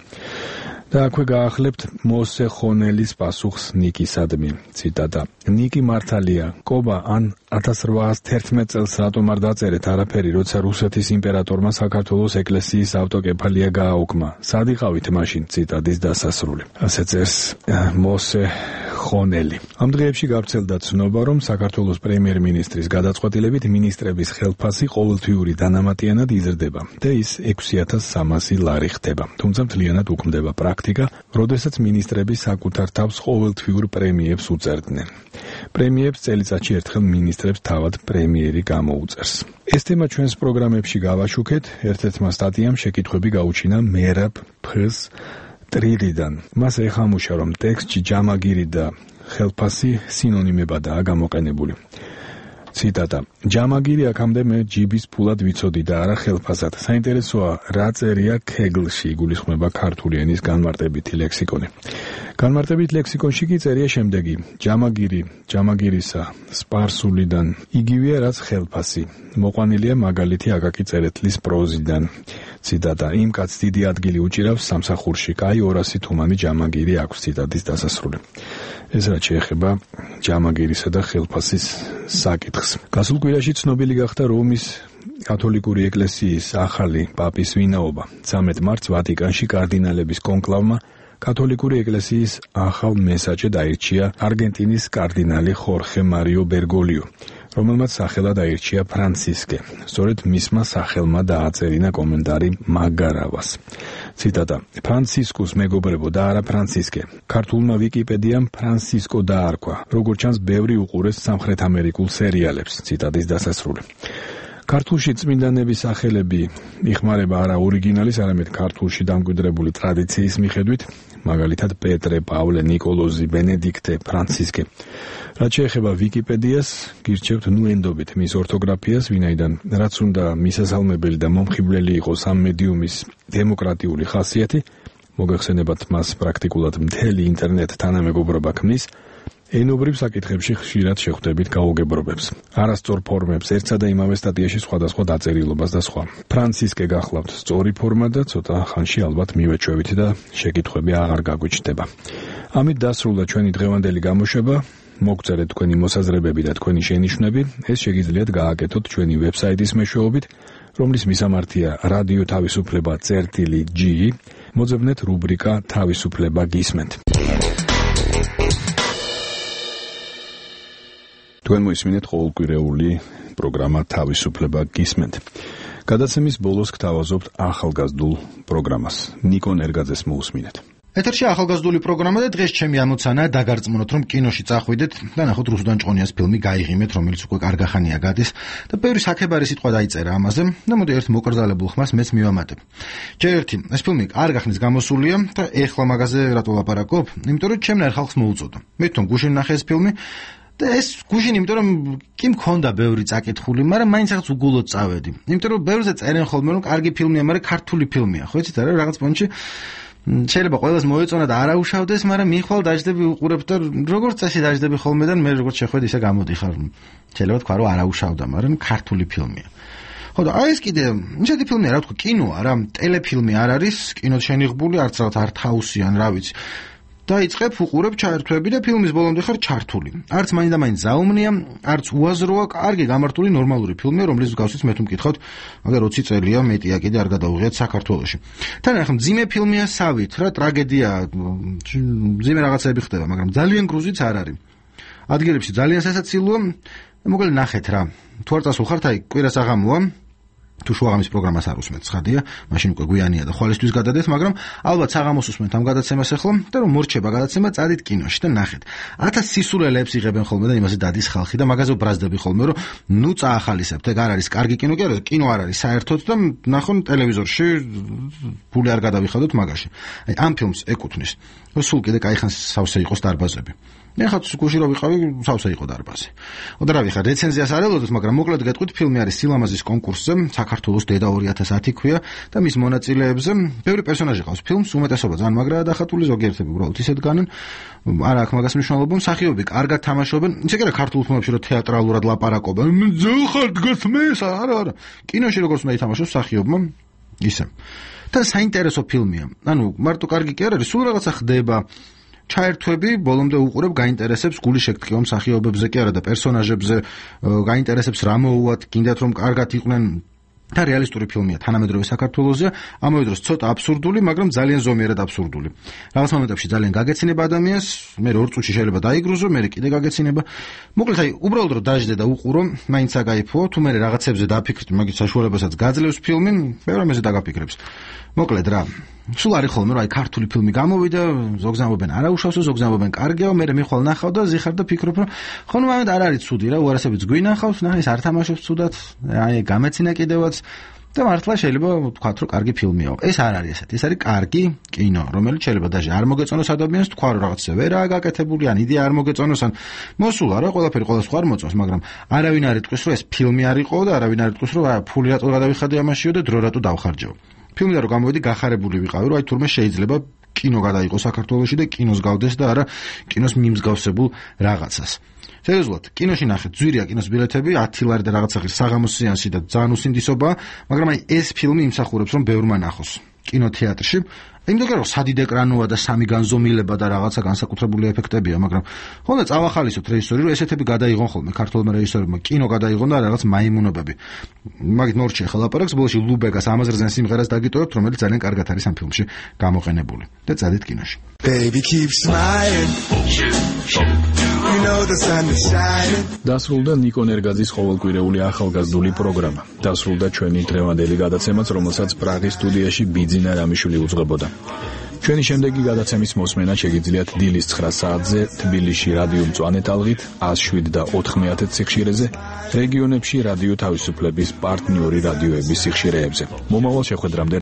და აქვე გაახლებთ მოსე ხონელის პასუხს ნიკისადმი. ციტატა. ნიკი მართალია, კობა ან 1811 წელს რატომ არ დაწერეთ არაფერი, როცა რუსეთის იმპერატორმა საქართველოს ეკლესიის ავტოკეფალია გააუქმა. სად იყავით მაშინ? ციტატის დასასრული. ასე წერს მოსე ხონელი. ამ დღეებში გავრცელდა ცნობა, რომ საქართველოს პრემიერ-მინისტრის გადაწყვეტილებით მინისტრების ხელფასი ყოველთვიური დანამატიანად იზრდება და ის 6300 ლარი ხდება. თუმცა მთლიანად უქმდება პრაქტიკა, როდესაც მინისტრები საკუთარ თავს ყოველთვიურ პრემიებს უწერდნენ. პრემიებს წელიწადში ერთხელ მინისტრებს თავად პრემიერი გამოუწერს. ეს თემა ჩვენს პროგრამებში გავაშუქეთ. ერთ-ერთმა სტატიამ შეკითხვები გაუჩინა მერაბ ფ-ს ტრილიდან. მას ეხამუშა, რომ ტექსტში ჯამაგირი და ხელფასი სინონიმებადაა გამოყენებული. ციტატა: ჯამაგირი აქამდე მე ჯიბის ფულად ვიცოდი და არა ხელფასად. საინტერესოა, რა წერია ქეგლში, იგულისხმება ქართული ენის განმარტებითი ლექსიკონი. განმარტებით ლექსიკონში კი წერია შემდეგი: ჯამაგირისა, სპარსულიდან, იგივეა რაც ხელფასი. მოყვანილია მაგალითი აკაკი წერეთლის პროზიდან. ციტატა: იმ კაცს დიდი ადგილი უჭირავს სამსახურში, კაი 200 თუმანი ჯამაგირი აქვს. ციტატის დასასრული. ეს რაც შეეხება ჯამაგირისა და ხელფასის საკითხს. გასულ კვირაში ცნობილი გახდა რომის კათოლიკური ეკლესიის ახალი პაპის ვინაობა. 13 მარტს ვატიკანში კარდინალების კონკლავმა კათოლიკური ეკლესიის ახალ მესაჯად აირჩია არგენტინის კარდინალი ხორხე მარიო ბერგოლიო, რომელმაც სახელად აირჩია ფრანცისკე. სწორედ მისმა სახელმა დააწერინა კომენტარი მაგარავას. ციტატა: ფრანცისკუს მეგობრებო და არა ფრანცისკე. ქართულმა ვიკიპედიამ ფრანცისკო დაარქვა, როგორც ჩანს ბევრი უყურეს სამხრეთ ამერიკულ სერიალებს. ციტატის დასასრული. ქართულში წმინდანების სახელები იხმარება არა ორიგინალის, არამედ ქართულში დამკვიდრებული ტრადიციის მიხედვით, მაგალითად პეტრე, პავლე, ნიკოლოზი, ბენედიქტე, ფრანცისკე. რაც შეეხება ვიკიპედიას, გირჩევთ ნუენდობით მის ორთოგრაფიას, ვინაიდან რაც უნდა მისასალმებელი და მომხიბვლელი იყოს ამ მედიუმის დემოკრატიული ხასიათი, მოგეხსენებათ მას პრაქტიკულად მთელი ინტერნეტ თანამეგობრობა ქმნის, ენობრივ საკითხებში ხშირად შეხვდებით გაუგებრობებს, არასწორ ფორმებს, ერთსა და იმავე სტატიაში სხვადასხვა დაწერილობას და სხვა. ფრანცისკე გახლავთ სწორი ფორმა და ცოტა ხანში ალბათ მივეჩვევით და შეკითხვები აღარ გაგვიჩნდება. ამით დასრულდა ჩვენი დღევანდელი გამოშვება. მოგწერეთ თქვენი მოსაზრებები და თქვენი შენიშვნები, ეს შეგიძლიათ გააკეთოთ ჩვენი ვებსაიტის მეშვეობით, რომლის მისამართია რადიო თავისუფლება წერტილი.g, მოძებნეთ რუბრიკა თავისუფლება გისმენთ. თქვენ მოისმინეთ ყოველკვირეული პროგრამა თავისუფლება გისმენთ. გადაცემის ბოლოს გთავაზობთ ახალგაზრდულ პროგრამას. ნიკო ნერგაძეს მოусმინეთ. ეთერში ახალგაზრდული პროგრამა და დღეს ჩემი ამოცანაა დაგარწმუნოთ, რომ კინოში წახვიდეთ და ნახოთ რუსუდან ჭყონიას ფილმი გაიღიმეთ, რომელიც უკვე კარგახანია გადის და ბევრი საქებარი სიტყვა დაიწერა ამაზე და მოდი ერთ მოკრძალებულ ხმას მეც მივამატებ. ჯერ ერთი, ეს ფილმი კარგახნის გამოსულია და ეხლა მაგაზე რატო ლაპარაკობ? იმიტომ რომ ჩემნაირ ხალხს მოუწოდა. მე თვითონ გუშინ ნახე ეს ფილმი და ეს გუშინ, იმიტომ რომ კი მქონდა ბევრი წაკითხული, მაგრამ მაინც რაღაც უგულოდ წავედი. იმიტომ რომ ბევრზე წერენ ხოლმე, რომ კარგი ფილმია, მაგრამ ქართული ფილმია. ხო იცით არა, რაღაც პონჩი შეიძლება ყველას მოეწონა და არაუშავდეს, მაგრამ მიხვალ დაждები უყურებ და როგორც წესი დაждები ხოლმე და მე როგორც შეხვედი ისე გამოდიხარ. შეიძლება თქვა რომ არაუშავდა, მაგრამ ქართული ფილმია. ხო და აი ეს კიდე ისეთი ფილმია, რა თქვა, კინოა რა, ტელეფილმი არ არის, კინოდ შენიღბული, არც რაღაც არტჰაუსი ან რა ვიცი. დაიწყებ უყურებ ჩაერთვები და ფილმის ბოლომდე ხარ ჩართული. არც მაინდა მაინც ზაუმნია, არც უაზროა, კარგი გამართული ნორმალური ფილმია, რომლის მსგავსიც მე თუ მკითხავთ, მაგრამ 20 წელია მეტია კიდე არ გადაუღიათ საქართველოში. თან ახლა მძიმე ფილმია სავით, რა ტრაგედია, მძიმე რაღაცები ხდება, მაგრამ ძალიან გრუზიც არ არის. ადგილებში ძალიან სასაცილოა, მოკლედ ნახეთ რა. თუ არ წასულხართ, აი კვირას აღამოა. თუ შუაღამის პროგრამას არ უსმენთ, ცხადია, მაშინ უკვე გვიანია და ხვალისთვის გადადეთ, მაგრამ ალბათ საღამოს უსმენთ ამ გადაცემას ახლა და რომ მორჩება გადაცემა, წადით კინოში და ნახეთ. 1000 სისულელეებს იღებენ ხოლმე და იმაზე დადის ხალხი და მაგაზე ბრაზდები ხოლმე, რომ ნუ წაახალისებთ, ეგ არ არის კარგი კინო, კი არა, კინო არ არის საერთოდ და ნახონ ტელევიზორში, ფული არ გადავიხადოთ მაგაში. აი ამ ფილმს ეკუთვნის. სულ კიდე კაი ხანს სავსე იყოს დარბაზები. ეხლა გუში რო ვიყავი, სავსე იყო დარბაზი. და რა ვიხარ, რეცენზიას არ ელოდოთ, მაგრამ მოკლედ გეტყვით, ფილმი არის სილამაზის კონკურსზე, საქართველოს დედა 2010 ქვია და მის მონაწილეებზე ბევრი პერსონაჟი ყავს ფილმს, უმეტესობა ძალიან მაგრაა დახატული, ზოგიერთები უბრალოდ ისეთ განან, არა აქვს მაგას მნიშვნელობა, მსახიობები კარგად თამაშობენ, ისე კი არა ქართულ ფილმებში რომ თეატრალურად ლაპარაკობენ, ძახარ დგას მეს, არა, კინოში როგორც უნდა ითამაშოს მსახიობმა, ისე. და საინტერესო ფილმია. ანუ მარტო კარგი კი არ არის, სულ რაღაცა ხდება. ჩაერთვები, ბოლომდე უყურებ, გაინტერესებს, გული შეგტყივა მსახიობებზე კი არა და პერსონაჟებზე, გაინტერესებს რა მოუვათ, გინდათ რომ კარგად იყვნენ და რეალისტური ფილმია, თანამედროვე საქართველოსია, ამავე დროს ცოტა აბსურდული, მაგრამ ძალიან ზომიერად აბსურდული. რაღაც მომენტებში ძალიან გაგეცინება ადამიანს, მე 2 წუთში შეიძლება დაიგრუზო, მე კიდე გაგეცინება. მოკლედ აი, უბრალოდ რომ დაждდე და უყურო, მაინც აგაიფო, თუ მე რაღაცებზე დაფიქრდი, მაგის საშუალებასაც გაძლევს ფილმი, მე რამეზე დაგაფიქრებს. მოკლედ რა, სულ არის ხოლმე რომ აი ქართული ფილმი გამოვიდა, ზოგს ამბობენ არაუშავსო, ზოგს ამბობენ კარგია, მე მიხვალ ნახავ და ზიხარ და ფიქრობ რომ ხო ნუ ამით არ არის ცუდი რა, უარასებიც გვინახავს, ნახე ეს არ თამაშობს ცუდად, აი გამეცინა კიდევაც და მართლა შეიძლება ვთქვათ, რომ კარგი ფილმია. ეს არ არის ესეთი. ეს არის კარგი კინო, რომელიც შეიძლება даже არ მოგეწონოს ადამიანს, თქვა რომ რაღაცა ვერაა გაკეთებული, ან იდეა არ მოგეწონოს, ან მოსულა რა, ყველაფერი ყოველს ხარ მოწონს, მაგრამ არავინ არ იტყვის, რომ ეს ფილმი არ იყო და არავინ არ იტყვის, რომ ფული რატო გადავიხადე ამაშიო და დრო რატო დავხარჯო. ფილმიდან რომ გამოვიდი, გახარებული ვიყავი, რომ აი თურმე შეიძლება კინო გადაიღო საქართველოში და კინოს გავდეს და არა კინოს მიმსგავსებულ რაღაცას. სერიოზულად, კინოში ნახეთ, ძვირია კინოს ბილეთები, 10 ლარი და რაღაცა ხის საღამოს სეანსი და ძალიან უსინდისობა, მაგრამ აი ეს ფილმი იმსახურებს, რომ ბევრმა ნახოს კინოთეატრში. იმიტომ რომ სადიდ ეკრანოა და სამი განზომილება და რაღაცა განსაკუთრებული ეფექტებია, მაგრამ ხონდა წავახალისოთ რეჟისორი, რომ ესეთები გადაიღონ ხოლმე ქართულმა რეჟისორებმა, კინო გადაიღონ და რაღაც მაიმუნობები. მაგით მორჩი ახლა ლაპარაკს, ბოლოში ლუბეგას ამაზრზენ სიმღერას დაგიტოვებთ, რომელიც ძალიან კარგად არის ამ ფილმში გამოყენებული. და წადით კინოში. Baby keep smiling. You know the sun is shining. დასრულდა ნიკო ნერგაძის ყოველკვირეული ახალგაზრდული პროგრამა. დასრულდა ჩვენი დღევანდელი გადაცემაც, რომელსაც პრაღის სტუდიაში ბიძინა რამიშვილი უძღვებოდა. ჩვენი შემდეგი გადაცემის მოსმენა შეგიძლიათ დილის 9 საათზე თბილისში რადიო მწვანე ტალღით 107 და 90 სიხშირეზე, რეგიონებში რადიო თავისუფლების პარტნიორი რადიოების სიხშირეებზე. მომავალ შეხვედრამდე